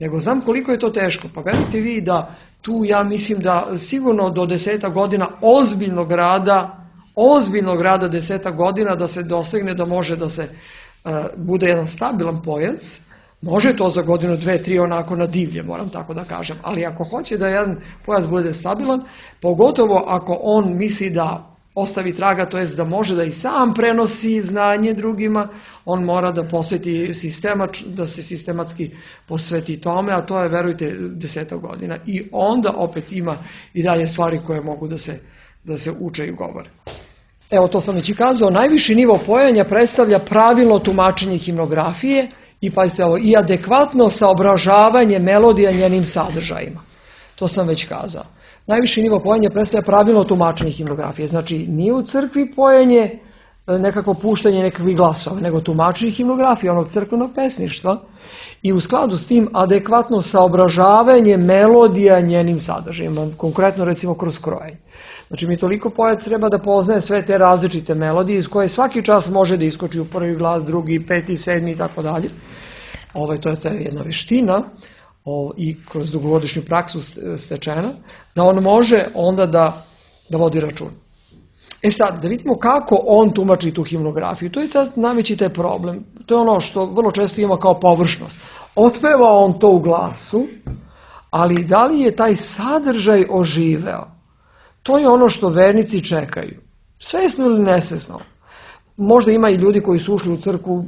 nego znam koliko je to teško. Pa verujte vi da tu ja mislim da sigurno do 10 godina ozbiljnog rada 10 godina da se dosegne da može da se bude jedan stabilan pojac. Može to za godinu, 2, 3 onako na divlje, moram tako da kažem. Ali ako hoće da jedan pojac bude stabilan, pogotovo ako on misli da ostavi traga, to jest da može da i sam prenosi znanje drugima, on mora da da se sistematski posveti tome, a to je, verujte, 10 godina. I onda opet ima i dalje stvari koje mogu da se uče i govore. Evo, to sam već i kazao, najviši nivo pojanja predstavlja pravilno tumačenje himnografije i, pazite ovo, i adekvatno saobražavanje melodija njenim sadržajima. To sam već kazao. Najviši nivo pojanja predstavlja pravilno tumačenje himnografije. Znači, nije u crkvi pojenje nekako puštanje nekakvih glasova, nego tumačenje himnografije, onog crkvenog pesništva i u skladu s tim adekvatno saobražavanje melodija njenim sadržajima, konkretno recimo kroz krojenje. Znači, mi toliko pojac treba da poznaje sve te različite melodije iz koje svaki čas može da iskoči u prvi glas, drugi, peti, sedmi i tako dalje. To je jedna veština i kroz dugogodišnju praksu stečena, da on može onda da vodi račun. Sad, da vidimo kako on tumači tu himnografiju. To je najveći taj problem. To je ono što vrlo često ima kao površnost. Otpeva on to u glasu, ali da li je taj sadržaj oživeo? To je ono što vernici čekaju. Svesno ili nesvesno. Možda ima i ljudi koji su ušli u crkvu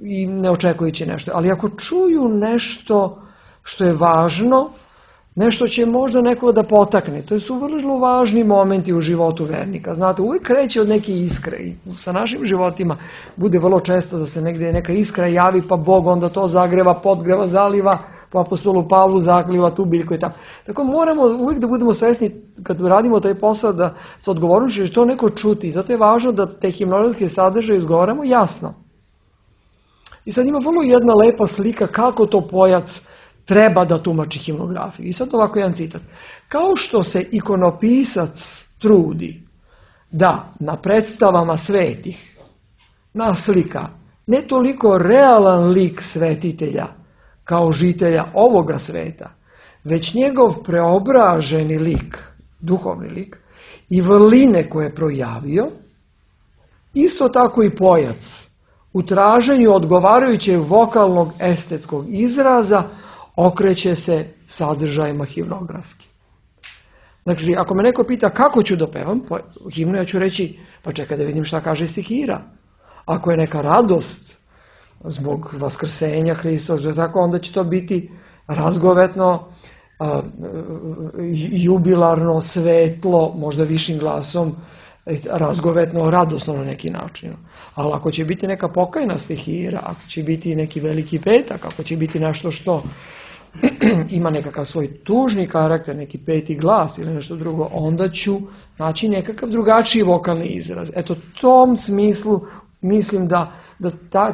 i ne očekujući nešto. Ali ako čuju nešto što je važno, nešto će možda nekoga da potakne. To su vrlo važni momenti u životu vernika. Znate, uvijek kreće od neke iskre i sa našim životima bude vrlo često da se negdje neka iskra javi, pa Bog onda to zagreva, podgreva, zaliva, po apostolu Pavlu zakliva tu biljku i tako. Tako moramo uvijek da budemo svesni kad radimo taj posao da sa odgovornošću će to neko čuti. Zato je važno da te himnološke sadržaje izgovaramo jasno. I sad ima vrlo jedna lepa slika kako to pojac treba da tumači himnografiju. I sad ovako jedan citat. Kao što se ikonopisac trudi da na predstavama svetih naslika ne toliko realan lik svetitelja kao žitelja ovoga sveta, već njegov preobraženi lik, duhovni lik, i vrline koje je projavio, isto tako i pojac u traženju odgovarajućeg vokalnog estetskog izraza okreće se sadržajima himnografskim. Znači, ako me neko pita kako ću da pevam himnu, ja ću reći, pa čekaj da vidim šta kaže stihira. Ako je neka radost zbog vaskrsenja Hristovog, onda će to biti razgovetno, jubilarno, svetlo, možda višim glasom, razgovetno, radosno na neki način. Ali ako će biti neka pokajna stihira, ako će biti neki veliki petak, ako će biti nešto što ima nekakav svoj tužni karakter, neki peti glas ili nešto drugo, onda ću naći nekakav drugačiji vokalni izraz. Eto, tom smislu mislim da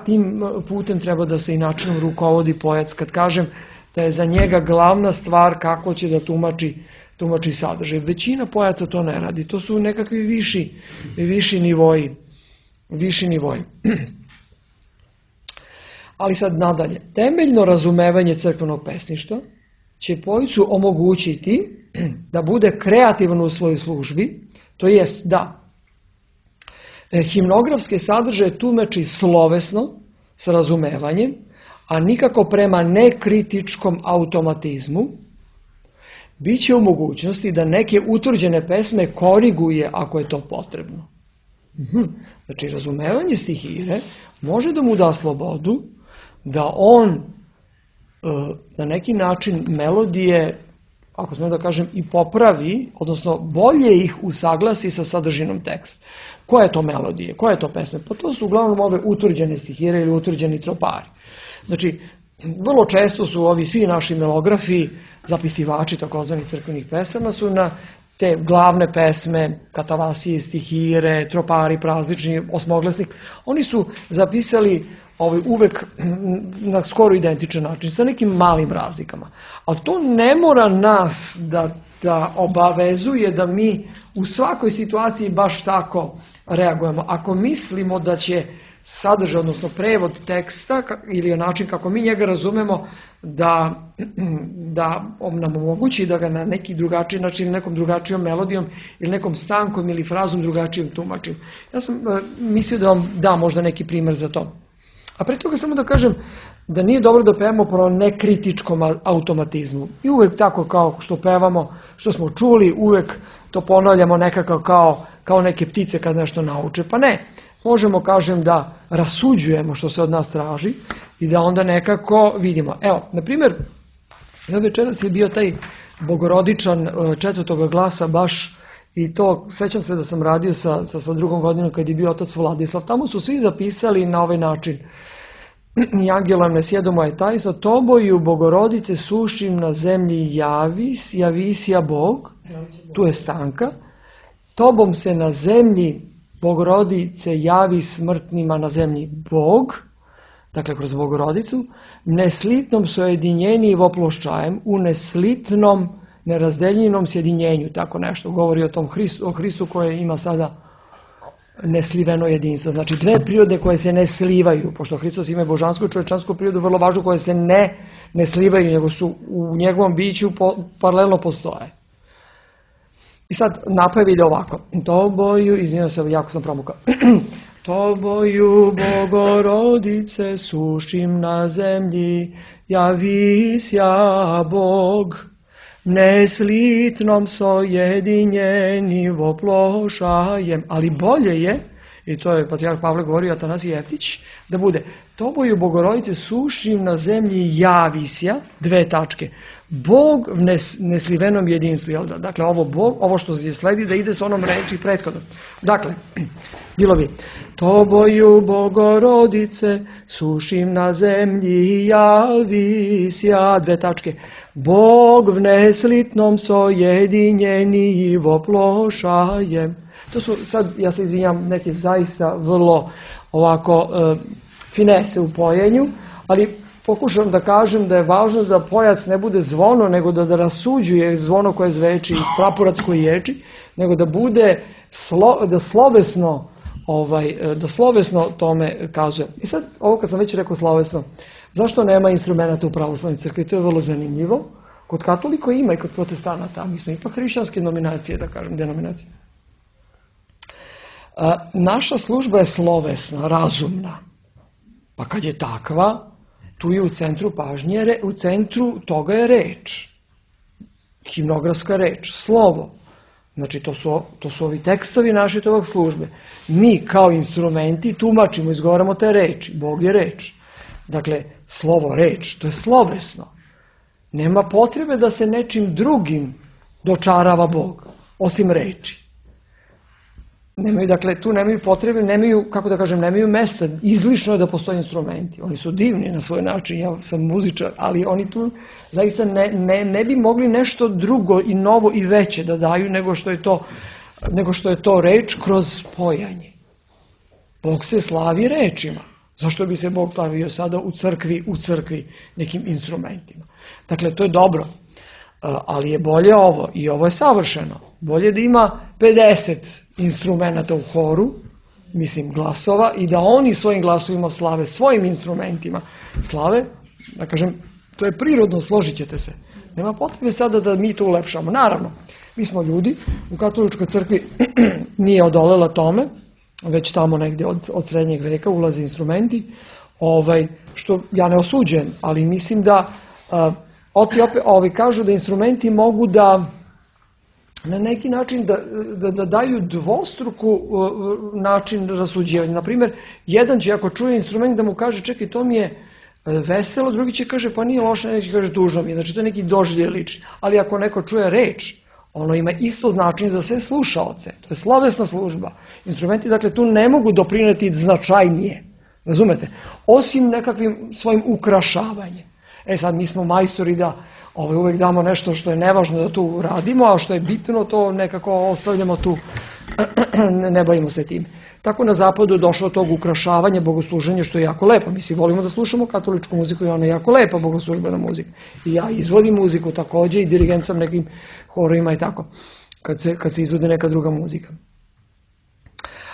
tim putem treba da se i načinom rukovodi pojac. Kad kažem da je za njega glavna stvar kako će da tumači sadržaj. Većina pojaca to ne radi. To su nekakvi viši nivoji. Ali sad nadalje. Temeljno razumevanje crkvenog pesništva će pojcu omogućiti da bude kreativan u svojoj službi, to jest da himnografske sadržaje tumači slovesno, s razumevanjem, a nikako prema nekritičkom automatizmu, bit će u mogućnosti da neke utvrđene pesme koriguje ako je to potrebno. Znači, razumevanje stihire može da mu da slobodu da on na neki način melodije, ako smijem da kažem, i popravi, odnosno bolje ih usaglasi sa sadržinom teksta. Koje je to melodije, koje je to pesme? Pa to su uglavnom ove utvrđene stihire ili utvrđeni tropari. Znači, vrlo često su ovi svi naši melografi, zapisivači takozvanih crkvenih pesama, su na te glavne pesme, katavasije, stihire, tropari, praznični, osmoglasnik, oni su zapisali uvek na skoro identičan način, sa nekim malim razlikama. Ali to ne mora nas da da obavezuje da mi u svakoj situaciji baš tako reagujemo. Ako mislimo da će sadržaj, odnosno prevod teksta ili način kako mi njega razumemo da nam omogući da ga na neki drugačiji način, nekom drugačijom melodijom ili nekom stankom ili frazom drugačijom tumačim. Ja sam mislio da vam dam možda neki primjer za to. A pre toga samo da kažem da nije dobro da pevamo po nekritičkom automatizmu. I uvek tako kao što pevamo, što smo čuli, uvek to ponavljamo nekako kao neke ptice kad nešto nauče. Pa ne, možemo kažem da rasuđujemo što se od nas traži i da onda nekako vidimo. Evo, na primjer, večeras je bio taj bogorodičan četvrtoga glasa baš i to, sećam se da sam radio sa drugom godinom kad je bio otac Vladislav. Tamo su svi zapisali na ovaj način. I angelom ne sjedo moje tajstvo, toboju bogorodice sušim na zemlji javisja Bog, tu je stanka, tobom se na zemlji bogorodice javi smrtnima na zemlji Bog, dakle kroz bogorodicu, neslitnom sojedinjeni voploščajem, u neslitnom nerazdeljenom sjedinjenju, tako nešto, govori o tom Hristu koje ima sada nesliveno jedinstvo. Znači dve prirode koje se ne slivaju, pošto Hristos ima božansku i čovječansku prirodu, vrlo važno, koje se ne slivaju, nego su u njegovom biću paralelno postoje. I sad napav ide ovako. Toboju, izvinjam se, jako sam promukao. Toboju bogorodice sušim na zemlji, javisja Bog. Neslitnom sojedinjeni voplošajem, ali bolje je, i to je patrijarh Pavle govorio, Atanasije Jeftić, da bude toboju bogorodice sušim na zemlji javisja, dve tačke, Bog v neslivenom jedinstvu, jel da? Dakle, ovo što je sledi da ide s onom reči prethodno. Dakle, bilo bi toboju bogorodice sušim na zemlji javisja, dve tačke, Bog v neslitnom sojedinjeni voplošajem. To su, sad ja se izvinjam, neke zaista vrlo ovako finese u pojenju, ali pokušam da kažem da je važno da pojac ne bude zvono, nego da rasuđuje zvono koje zveči, praporac koji ječi, nego da bude da slovesno tome kazuje. I sad, ovo kad sam već rekao slovesno, zašto nema instrumenta u pravoslavnoj crkvi? To je vrlo zanimljivo. Kod katolika ima i kod protestanata, mi smo ipak hrišćanske nominacije, da kažem, denominacije. Naša služba je slovesna, razumna. Pa kad je takva, tu je u centru pažnje, u centru toga je reč. Himnografska reč, slovo. Znači, to su ovi tekstovi naše tog službe. Mi kao instrumenti tumačimo, izgovaramo te reči. Bog je reč. Dakle, slovo, reč, to je slovesno. Nema potrebe da se nečim drugim dočarava Bog, osim reči. Dakle, tu nemaju potrebe, nemaju mesta. Izlišno je da postoje instrumenti. Oni su divni na svoj način, ja sam muzičar, ali oni tu zaista ne bi mogli nešto drugo i novo i veće da daju nego što je to reč kroz pojanje. Bog se slavi rečima. Zašto bi se Bog slavio sada u crkvi nekim instrumentima? Dakle, to je dobro, ali je bolje ovo i ovo je savršeno. Bolje da ima 50 instrumenta u horu, mislim glasova, i da oni svojim glasovima slave, svojim instrumentima slave, da kažem, to je prirodno, složit ćete se. Nema potrebe sada da mi to ulepšamo. Naravno, mi smo ljudi, u katoličkoj crkvi nije odolela tome, već tamo negdje od srednjeg veka ulaze instrumenti, što ja ne osuđujem, ali mislim da oci opet kažu da instrumenti mogu da na neki način da daju dvostruku način rasuđivanja. Naprimjer, jedan će ako čuje instrument da mu kaže čekaj, to mi je veselo, drugi će kaže pa nije loše, neki kaže tužno mi je, znači to je neki doživljaj lični. Ali ako neko čuje reč, ono ima isto značenje za sve slušaoce. To je slovesna služba. Instrumenti, dakle, tu ne mogu doprineti značajnije. Razumete? Osim nekakvim svojim ukrašavanjem. Sad, mi smo majstori da uvek damo nešto što je nevažno da tu radimo, a što je bitno, to nekako ostavljamo tu, ne bavimo se tim. tako na zapadu došlo tog ukrašavanja bogosluženja, što je jako lepo. Mi svi volimo da slušamo katoličku muziku i ona je jako lepa bogoslužbena muzika. I ja izvodim muziku takođe i dirigent sam nekim horovima i tako, kad se izvode neka druga muzika.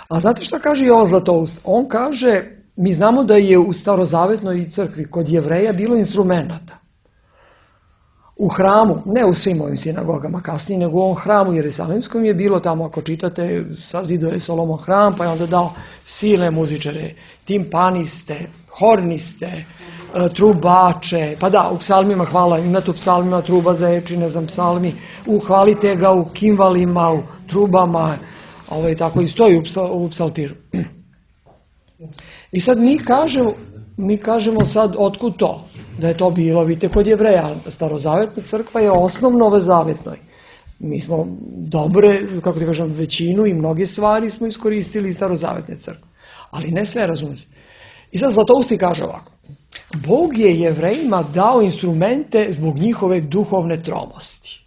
A znate šta kaže Jovan Zlatoust? On kaže, mi znamo da je u starozavetnoj crkvi kod Jevreja bilo instrumenata. U hramu, ne u svim ovim sinagogama kasnije, nego u ovom hramu Jerusalimskom je bilo tamo, ako čitate, sazidao je Solomon hram, pa je onda dao silne muzičare, timpaniste, horniste, trubače, pa da, u psalmima hvala, imate u psalmima truba zaječi, ne znam, psalmi, uhvalite ga u kimvalima, u trubama, tako i stoji u psaltiru. I sad mi kažemo sad otkud to, da je to bilo, vidite, kod Jevreja, starozavetna crkva je osnov novozavetnoj. Mi smo dobre, kako ti kažem, većinu i mnoge stvari smo iskoristili iz starozavetne crkve. Ali ne sve, razume se. I sad Zlatousti kaže ovako, Bog je Jevrejima dao instrumente zbog njihove duhovne tromosti.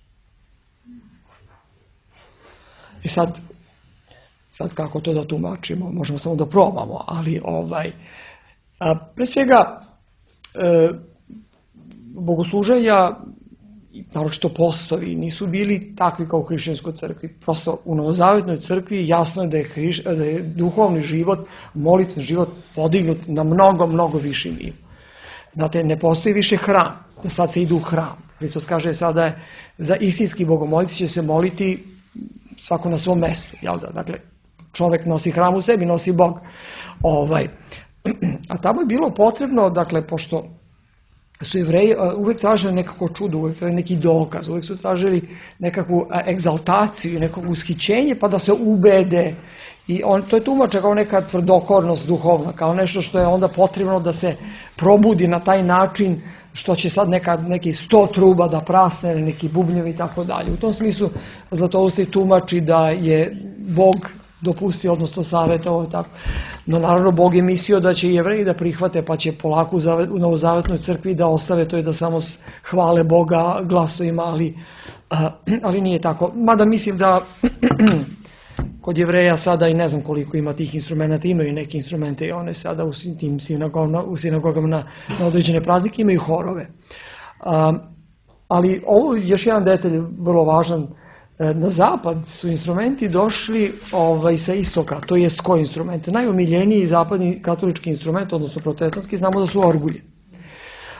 I sad kako to da tumačimo, možemo samo da probamo, ali pre svega bogosluženja, naročito postovi, nisu bili takvi kao u hrišćanskoj crkvi. Prosto u novozavetnoj crkvi jasno je da je duhovni život, molitveni život podignut na mnogo, mnogo viši nivo. Znate, ne postoji više hram, da sad se ide u hram. Hristos kaže sada je za istinski bogomolci će se moliti svako na svom mestu, jel da? Dakle, čovek nosi hram u sebi, nosi Bog. A tamo je bilo potrebno, dakle, pošto su Jevreji uvek tražili nekako čudo, uvek neki dokaz, uvek su tražili nekakvu egzaltaciju, nekako ushićenje, pa da se ubede. I to je tumače kao neka tvrdokornost duhovna, kao nešto što je onda potrebno da se probudi na taj način, što će sad neki 100 truba da prasne, neki bubnjevi i tako dalje. U tom smislu Zlatousti tumači da je Bog dopustio, odnosno savjetovao tako. No naravno Bog je mislio da će Jevreji da prihvate, pa će polako u novozavetnoj crkvi da ostave to i da samo hvale Boga glasovima, ali nije tako. Mada mislim da kod Jevreja sada i ne znam koliko ima tih instrumenta, imaju neke instrumente i one sada u tim sinagogama na određene praznike imaju horove. Ali ovo je još jedan detalj vrlo važan. Na zapad su instrumenti došli sa istoka, to jest koji instrument? Najomiljeniji zapadni katolički instrument, odnosno protestantski, znamo da su orgulje.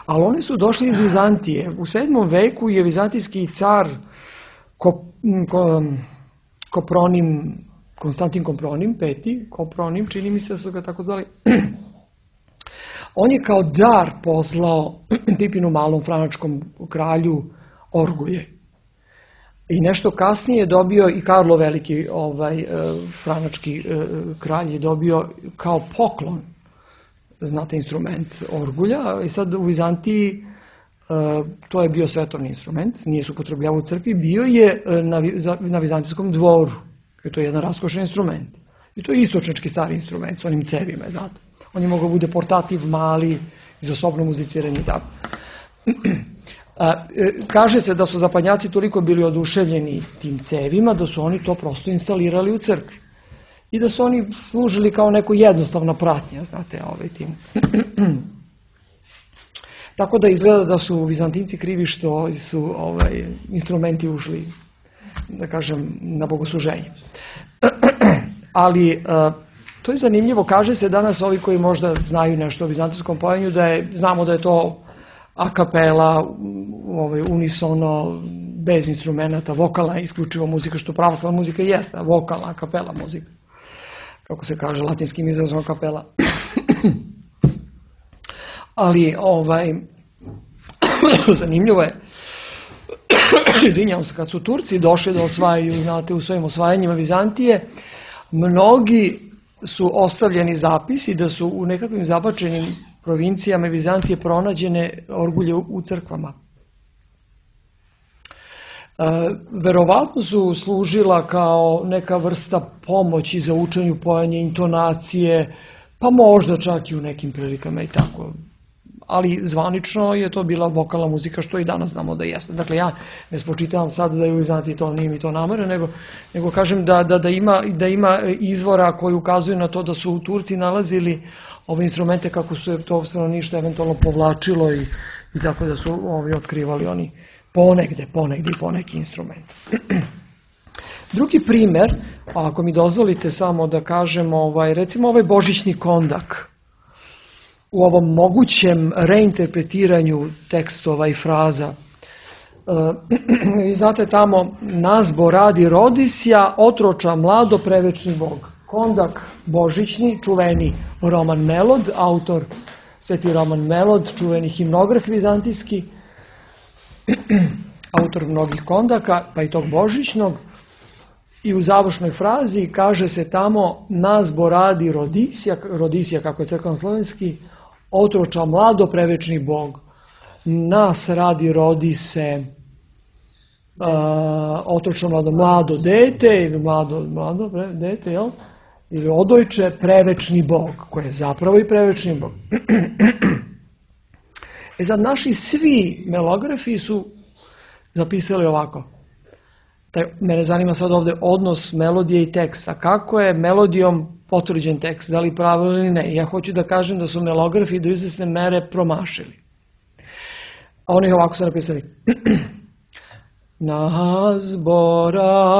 Ali oni su došli iz Vizantije. U 7. veku je vizantijski car Konstantin Kopronim, peti, Kopronim, čini mi se da su ga tako zvali, on je kao dar poslao Pipinu Malom, franačkom kralju, orgulje. I nešto kasnije je dobio i Karlo Veliki, franački kralj, je dobio kao poklon, znate, instrument orgulja. I sad u Vizantiji to je bio svetovni instrument, nije se upotrebljavao u crkvi, bio je na vizantijskom dvoru. I to je jedan raskošan instrument. I to je istočnički stari instrument s onim cevima, znate. On je mogao bude portativ, mali, za sobno muziciranje i tako. Kaže se da su zapadnjaci toliko bili oduševljeni tim cevima da su oni to prosto instalirali u crkvi. I da su oni služili kao neko jednostavna pratnja, znate, tim. Tako da izgleda da su Vizantinci krivi što su instrumenti ušli, da kažem, na bogosluženje. Ali to je zanimljivo, kaže se danas ovi koji možda znaju nešto o vizantijskom pojenju, znamo da je to a kapela, unisono, bez instrumenta, vokalna isključivo muzika, što pravoslavna muzika jeste, vokalna, a kapela muzika, kako se kaže latinskim izrazom kapela. Ali zanimljivo je, izvinjavam se, kad su Turci došli da osvajaju, znate, u svojim osvajanjima Vizantije, mnogi su ostavljeni zapisi da su u nekakvim zabačenim provincijama Vizantije pronađene orgulje u crkvama. Verovatno su služila kao neka vrsta pomoći za učenju pojanja, intonacije, pa možda čak i u nekim prilikama i tako. ali zvanično je to bila vokalna muzika, što i danas znamo da jeste. Dakle, ja ne spočitavam sad da je znati to, nije mi to namere, nego kažem da ima izvora koji ukazuju na to da su Turci nalazili ove instrumente kako su to stanovništvo eventualno povlačilo i tako da su otkrivali oni ponegde i poneki instrument. Drugi primer, ako mi dozvolite samo da kažem, recimo ovaj božićni kondak, u ovom mogućem reinterpretiranju tekstova i fraza. Vi znate tamo, nazbo radi rodisja, otroča mlado, prevečni Bog. Kondak božićni, čuveni Roman Melod, autor Sveti Roman Melod, čuveni himnograf vizantijski, autor mnogih kondaka, pa i tog božićnog. I u završnoj frazi kaže se tamo, nazbo radi rodisja, kako je crkveno-slovenski, otroča mlado, prevečni Bog. Nas radi rodi se otročno mlado dete, ili mlado dete, jel? Ili odojče, prevečni Bog, koji je zapravo i prevečni Bog. Sad, naši svi melografi su zapisali ovako. Mene zanima sad ovdje odnos melodije i teksta. Kako je melodijom potvrđen tekst, da li pravilno ili ne? Ja hoću da kažem da su melografi do izvesne mere promašili. A oni ovako su napisali. Nazbo radi,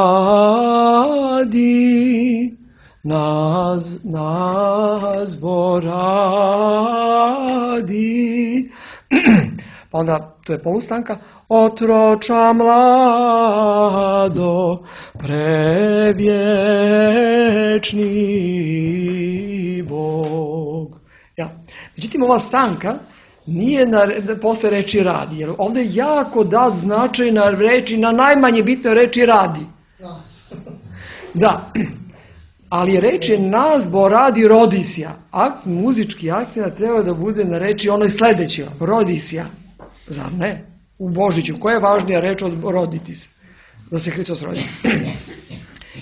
nazbo radi. Pa onda, to je polustanka, otroča mlado, prevječni Bog. Ja. Međutim, ova stanka nije posle reči radi, jer ovdje je jako dat značaj na reči, na najmanje bitnoj reči radi. Da, ali reč je nazbo radi rodisja. Muzički akcent treba da bude na reči onoj sljedećoj, rodisja. Zar ne? U Božiću. Koja je važnija reč od roditi se? Da se Hristos rodi.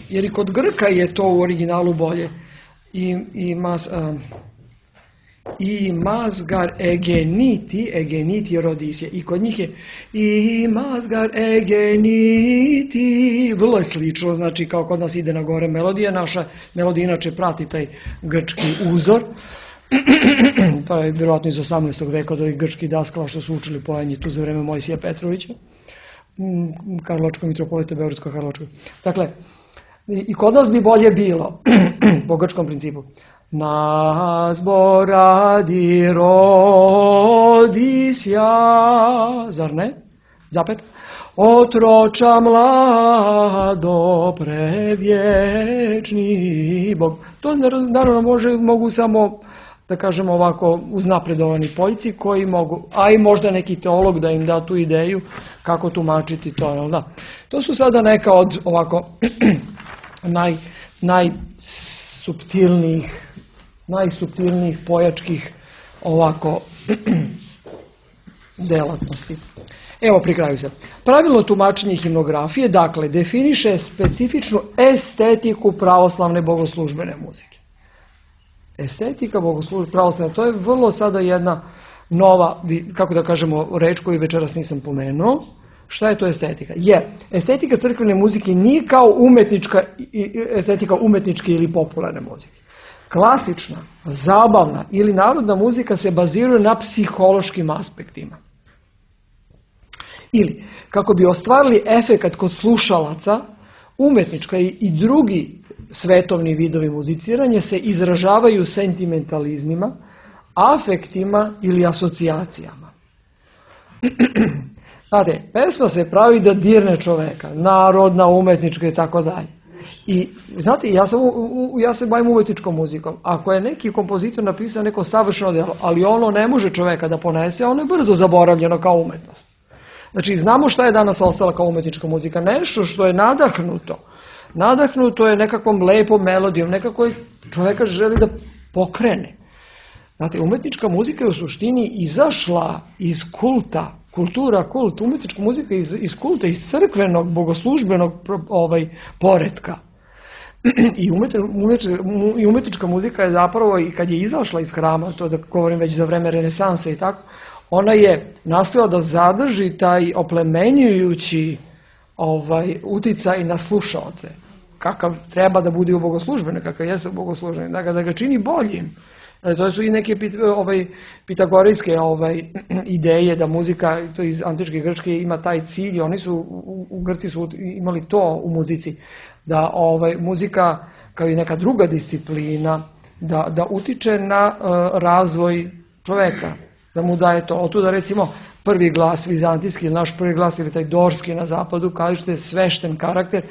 Jer i kod Grka je to u originalu bolje. I mazgar egeniti rodisje. I kod njih je i mazgar egeniti. Vrlo je slično, znači kao kod nas ide na gore melodija. Naša melodija inače prati taj grčki uzor. To je vjerojatno iz 18. veka od ovih grčkih daskala što su učili pojanje tu za vreme Mojsija Petrovića, Karlovačkog mitropolita Beogradsko-Karlovačkog. Dakle, i kod nas bi bolje bilo, po grčkom principu, nazbo radi rodisja, zar ne? Zapet. Otroča mlado, prevječni Bog. To naravno mogu samo, da kažemo ovako, uznapredovani poljci koji mogu, a i možda neki teolog da im da tu ideju kako tumačiti to, jel da? To su sada neka od ovako najsuptilnijih pojačkih ovako delatnosti. Evo, pri kraju se. Pravilno tumačenje himnografije, dakle, definiše specifičnu estetiku pravoslavne bogoslužbene muzike. Estetika pravoslavne, to je vrlo sada jedna nova, kako da kažemo, reč koju večeras nisam pomenuo. Šta je to estetika? Jer estetika crkvene muzike nije kao estetika umetničke ili popularne muzike. Klasična, zabavna ili narodna muzika se baziruje na psihološkim aspektima. Ili, kako bi ostvarili efekat kod slušalaca, umetnička i drugi svetovni vidovi muziciranja se izražavaju sentimentalizmima, afektima ili asocijacijama. Znate, pesma se pravi da dirne čoveka, narodna, umetnička i tako dalje. I znate, ja se bavim umetničkom muzikom. Ako je neki kompozitor napisao neko savršeno djelo, ali ono ne može čoveka da ponese, ono je brzo zaboravljeno kao umetnost. Znači, znamo šta je danas ostala kao umetnička muzika. Nešto što je nadahnuto. Nadahnuto je nekakvom lepom melodijom, nekako čoveka želi da pokrene. Znate, umetnička muzika je u suštini izašla iz kulta, kult, umetnička muzika iz kulta, iz crkvenog, bogoslužbenog poretka. I umetnička muzika je zapravo, i kad je izašla iz hrama, to da govorim već za vreme renesanse i tako, ona je nastojala da zadrži taj oplemenjujući uticaj na slušaoce, kakav treba da bude u bogoslužbene, kakav jeste u bogoslužbene, da ga čini boljim. To su i neke pitagorejske ideje da muzika, to iz antičke Grčke, ima taj cilj. Oni su, u Grci su imali to u muzici, da muzika kao i neka druga disciplina da utiče na razvoj čoveka, da mu daje to. Otuda recimo prvi glas vizantijski, naš prvi glas ili taj dorski na zapadu, kaže što je svešten karakter,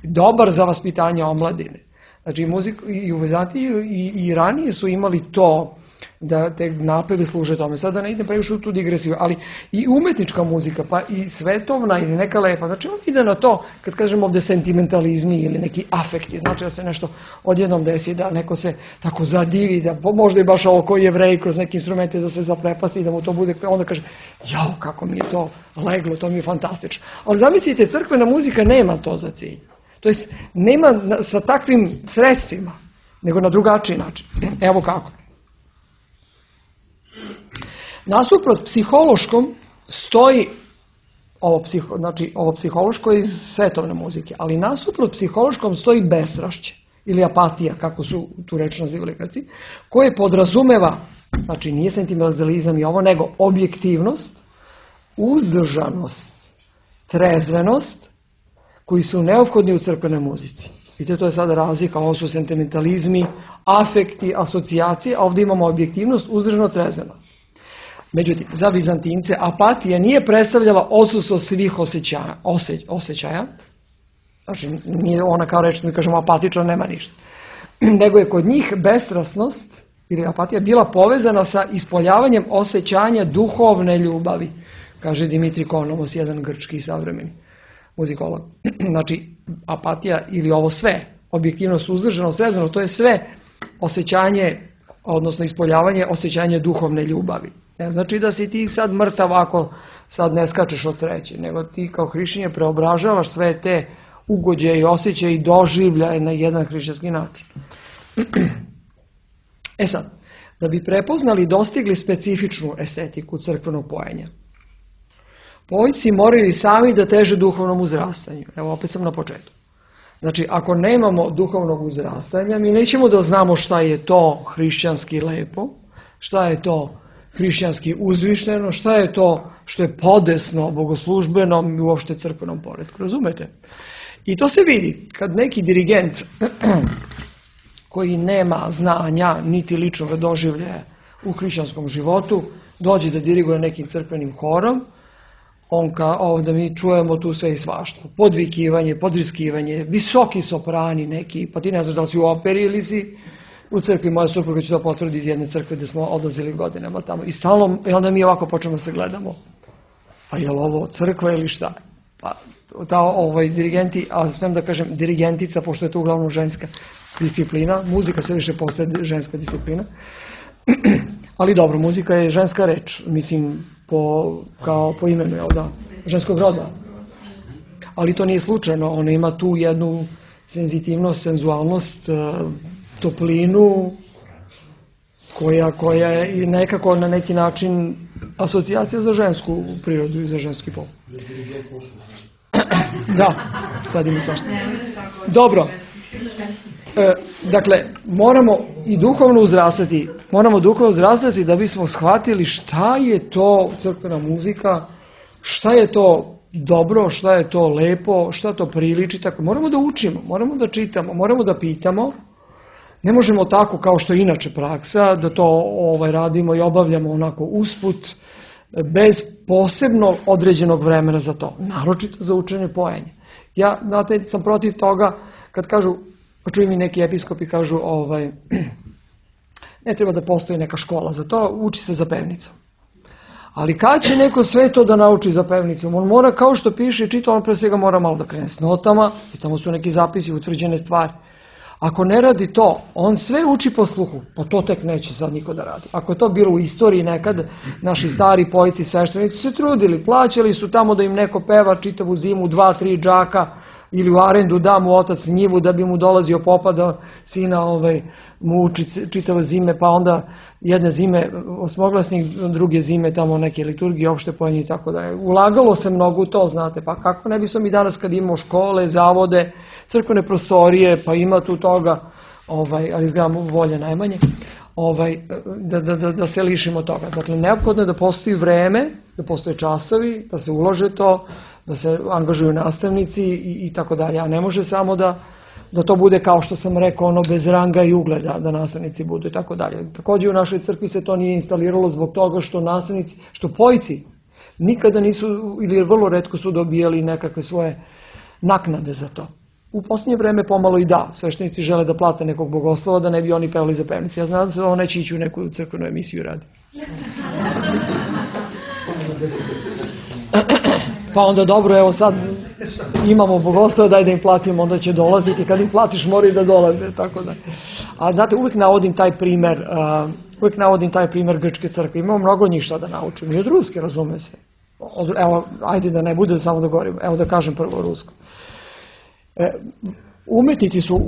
dobar za vaspitanje omladine. Znači i u Vizantiji i ranije su imali to, da te napeve služe tome. Sada ne idem previše u tu digresiju, ali i umetnička muzika, pa i svetovna ili neka lepa. Znači on ide na to, kad kažemo ovde sentimentalizmi ili neki afekti, znači da se nešto odjednom desi, da neko se tako zadivi, da možda i baš ovo koji Jevrej kroz neke instrumente da se zaprepasti i da mu to bude, onda kaže, jao, kako mi je to leglo, to mi je fantastično. Ali zamislite, crkvena muzika nema to za cilj. To jest, nema sa takvim sredstvima, nego na drugačiji način. Evo kako. Nasuprot psihološkom stoji ovo psihološko iz svetovne muzike, ali nasuprot psihološkom stoji bestrašće ili apatija, kako su tu reč nazivali Grci, koje podrazumeva, znači nije sentimentalizam i ovo, nego objektivnost, uzdržanost, trezvenost, koji su neophodni u crkvenoj muzici. Vidite, to je sada razlika, ovo su sentimentalizmi, afekti, asocijacije, a ovdje imamo objektivnost, uzdržanost, trezvenost. Međutim, za Vizantince apatija nije predstavljala odsustvo svih osjećaja, znači nije ona kao reč, mi kažemo apatična, nema ništa, nego je kod njih bestrasnost ili apatija bila povezana sa ispoljavanjem osjećanja duhovne ljubavi, kaže Dimitri Konomos, jedan grčki savremeni muzikolog. Znači, apatija ili ovo sve, objektivnost, uzdržanost, trezvenost, to je sve osjećanje, odnosno ispoljavanje osjećanja duhovne ljubavi. Ne znači da si ti sad mrtav ako sad ne skačeš od sreće, nego ti kao hrišćanin preobražavaš sve te ugođaje i osjećaje i doživljaje na jedan hrišćanski način. E sad, da bi prepoznali i dostigli specifičnu estetiku crkvenog pojenja, pojedinci moraju i sami da teže duhovnom uzrastanju. Evo, opet sam na početku. Znači, ako nemamo duhovnog uzrastanja, mi nećemo da znamo šta je to hrišćanski lepo, šta je to hrišćanski uzvišeno, šta je to što je podesno bogoslužbenom i uopšte crkvenom poretku. Razumete? I to se vidi kad neki dirigent koji nema znanja niti ličnog doživljaja u hrišćanskom životu dođe da diriguje nekim crkvenim horom, ovdje mi čujemo tu sve i svašta. Podvikivanje, podriskivanje, visoki soprani neki, pa ti ne znaš da li si u operi ili si u crkvi. Moja supruga će to potvrdi iz jedne crkve gdje smo odlazili godinama tamo. I onda mi ovako počnemo se gledamo. Pa je li ovo crkva ili šta? Pa dirigenti, a smijem da kažem dirigentica, pošto je to uglavnom ženska disciplina, muzika sve više postaje ženska disciplina. Ali dobro, muzika je ženska reč, mislim, kao po imenu, ženskog roda. Ali to nije slučajno, ona ima tu jednu senzitivnost, senzualnost, toplinu, koja je nekako na neki način asocijacija za žensku prirodu i za ženski pol. Da, sad ima svašta. Dobro. Dakle, moramo i duhovno uzrastati da bismo shvatili šta je to crkvena muzika, šta je to dobro, šta je to lepo, šta to priliči, tako. Moramo da učimo, moramo da čitamo, moramo da pitamo. Ne možemo tako kao što je inače praksa, da to radimo i obavljamo onako usput, bez posebno određenog vremena za to, naročito za učenje pojenja. Ja, znate, sam protiv toga kad kažu, pa čujem i neki episkopi kažu, ne treba da postoji neka škola za to, uči se za pevnicom. Ali kad će neko sve to da nauči za pevnicom? On mora, kao što piše i čita, on pre svega mora malo da krene s notama, i tamo su neki zapisi, utvrđene stvari. Ako ne radi to, on sve uči po sluhu, pa to tek neće sad niko da radi. Ako je to bilo u istoriji nekad, naši stari pojici, sveštenici se trudili, plaćali su tamo da im neko peva čitavu zimu, 2-3 džaka, ili u arendu da mu otac njivu da bi mu dolazio popa da sina mu uči čitave zime, pa onda jedne zime osmoglasnik, druge zime tamo neke liturgije, opšte pojenje i tako dalje. Ulagalo se mnogo u to, znate, pa kako ne bismo mi danas kad imamo škole, zavode, crkvene prostorije, pa ima tu toga, ali izgledamo volje najmanje, da se lišimo toga. Dakle, neophodno je da postoji vreme, da postoje časovi, da se ulože to, da se angažuju nastavnici i tako dalje, a ne može samo da to bude kao što sam rekao, bez ranga i ugleda, da nastavnici budu i tako dalje. Također u našoj crkvi se to nije instaliralo zbog toga što nastavnici, što pojci nikada nisu ili vrlo retko su dobijali nekakve svoje naknade za to. U posljednje vreme pomalo i da, sveštenici žele da plate nekog bogoslova da ne bi oni pevali za pevnici. Ja znam da se ovo neće ići u neku crkvenu emisiju radi. Pa onda dobro, evo sad imamo bogoslova, daj da im platimo, onda će dolaziti, kad im platiš moraju da dolaze, tako da. A znate, uvijek navodim taj primer grčke crkve, imamo mnogo njih šta da naučim, i od ruske, razume se. Evo, ajde da ne bude samo da govorim, evo da kažem prvo rusko. Umetnici su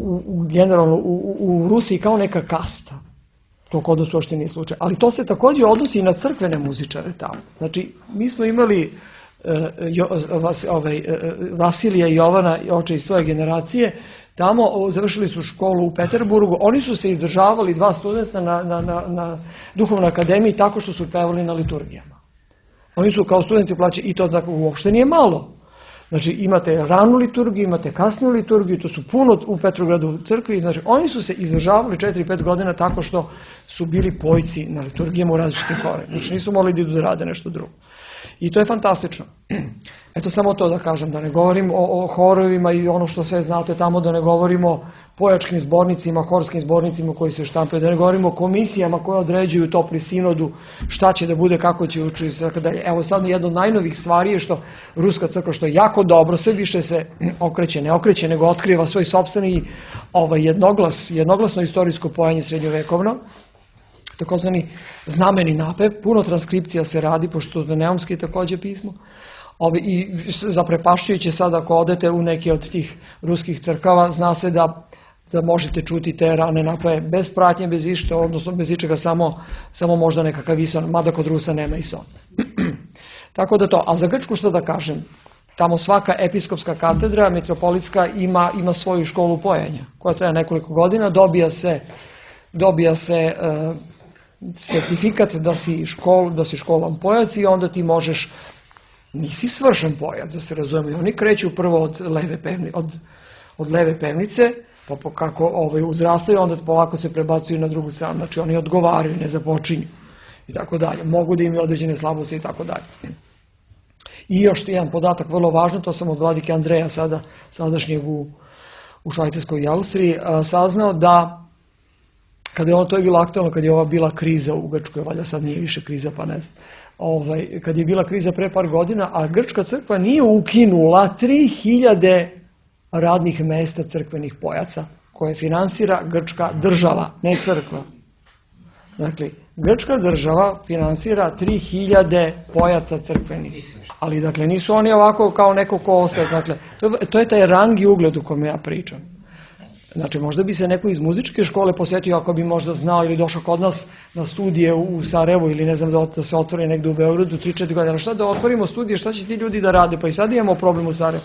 generalno u Rusiji kao neka kasta, to kod nas uopšte nije slučaj, ali to se također odnosi i na crkvene muzičare tamo. Znači, mi smo imali Vasilija i Jovana, oče iz svoje generacije, tamo završili su školu u Peterburgu, oni su se izdržavali, 2 studenta na duhovnoj akademiji tako što su pevali na liturgijama. Oni su kao studenti plaćali i to znači uopšte nije malo. Znači imate ranu liturgiju, imate kasniju liturgiju, to su puno u Petrogradu crkvi, znači oni su se izdržavali 4-5 godina tako što su bili pojci na liturgijama u različitim horima, znači nisu mogli da idu da rade nešto drugo. I to je fantastično. Eto samo to da kažem, da ne govorim o horovima i ono što sve znate tamo, da ne govorimo o pojačkim zbornicima, horskim zbornicima koji se štampaju, da ne govorimo o komisijama koje određuju to pri sinodu, šta će da bude, kako će učiti i tako dalje. Evo sad jedna od najnovih stvari je što Ruska crkva, što je jako dobro, sve više se ne okreće, nego otkriva svoj sopstveni jednoglasno istorijsko pojanje srednjovekovno, takozvani znameni napev, puno transkripcija se radi, pošto je neumski također pismo. I zaprepašćujuće sad ako odete u neke od tih ruskih crkava, zna se da možete čuti te rane napeve bez pratnje, bez išta, odnosno bez ičega, samo možda nekakav ison, mada kod Rusa nema ison. Tako da to, a za Grčku što da kažem, tamo svaka episkopska katedra, metropolitska, ima svoju školu pojenja, koja traje nekoliko godina, dobija se certifikat da si školan pojac i onda ti možeš, nisi svršen pojac, da se razumije, oni kreću prvo od leve pevnice, pa kako uzrastaju, onda polako se prebacuju na drugu stranu, znači oni odgovaraju, ne započinju i tako dalje, mogu da imaju određene slabosti i tako dalje. I još jedan podatak vrlo važan, to sam od vladike Andreja sadašnjeg u Švajcarskoj i Austriji saznao da to je bilo aktualno, kad je ova bila kriza u Grčkoj, valjda sad nije više kriza, pa ne znam, kad je bila kriza pre par godina, a Grčka crkva nije ukinula 3000 radnih mesta crkvenih pojaca, koje finansira grčka država, ne crkva. Dakle, grčka država finansira 3000 pojaca crkvenih, ali dakle nisu oni ovako kao neko ko ostaje, dakle, to je taj rang i ugled u kome ja pričam. Znači, možda bi se neko iz muzičke škole posjetio ako bi možda znao ili došao kod nas na studije u Sarajevu ili ne znam da se otvori negdje u Beogradu 3-4 godine. Šta da otvorimo studije, šta će ti ljudi da rade? Pa i sad imamo problem u Sarajevu.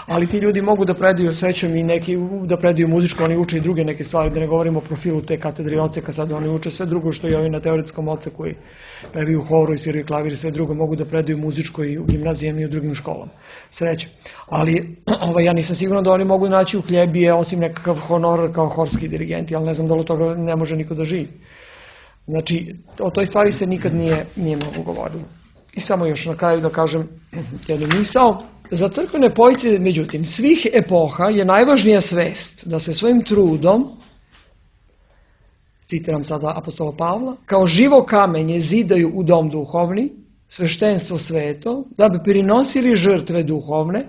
Ali ti ljudi mogu da predaju srećom i neki da predaju muzičko, oni uče i druge neke stvari, da ne govorimo o profilu te katedre odseka, sad oni uče sve drugo što i ovi na teoretskom odseku i pevaju horu i sviraju klavir i sve drugo, mogu da predaju muzičko i u gimnazijama i u drugim školama. Sreće. Ali ja nisam siguran da oni mogu naći u hljebije osim nekakav honorar kao horski dirigenti, ali ne znam da li od toga ne može niko da živi. Znači, o toj stvari se nikad nije mnogo govorilo. I samo još na kraju da kažem jednu misao. Za crkvene pojce, međutim, svih epoha je najvažnija svest da se svojim trudom, citiram sada apostola Pavla, kao živo kamenje zidaju u dom duhovni, sveštenstvo sveto, da bi prinosili žrtve duhovne,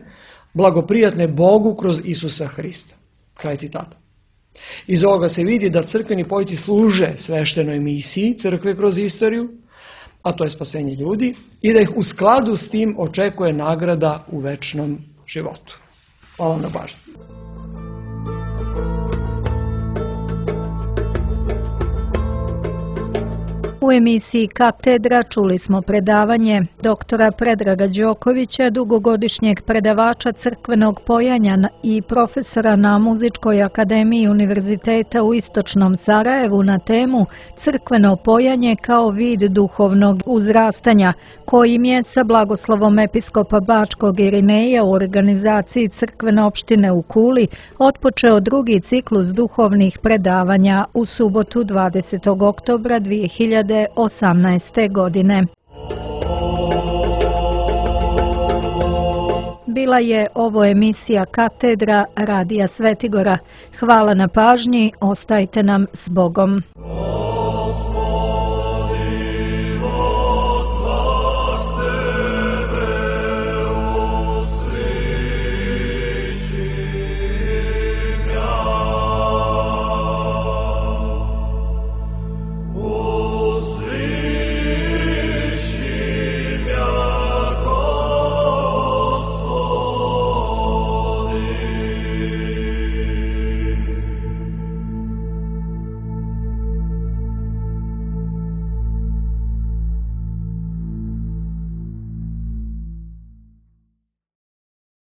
blagoprijatne Bogu kroz Isusa Hrista. Kraj citata. Iz ovoga se vidi da crkveni pojci služe sveštenoj misiji crkve kroz istoriju, a to je spasenje ljudi, i da ih u skladu s tim očekuje nagrada u večnom životu. Hvala vam na pažnji. U emisiji Katedra čuli smo predavanje doktora Predraga Đokovića, dugogodišnjeg predavača crkvenog pojanja i profesora na Muzičkoj akademiji Univerziteta u Istočnom Sarajevu na temu crkveno pojanje kao vid duhovnog uzrastanja, kojim je sa blagoslovom episkopa Bačkog Irineja u organizaciji crkvene opštine u Kuli otpočeo drugi ciklus duhovnih predavanja u subotu 20. oktobra 2018. godine. Bila je ovo emisija Katedra Radija Svetigora. Hvala na pažnji, ostajte nam s Bogom.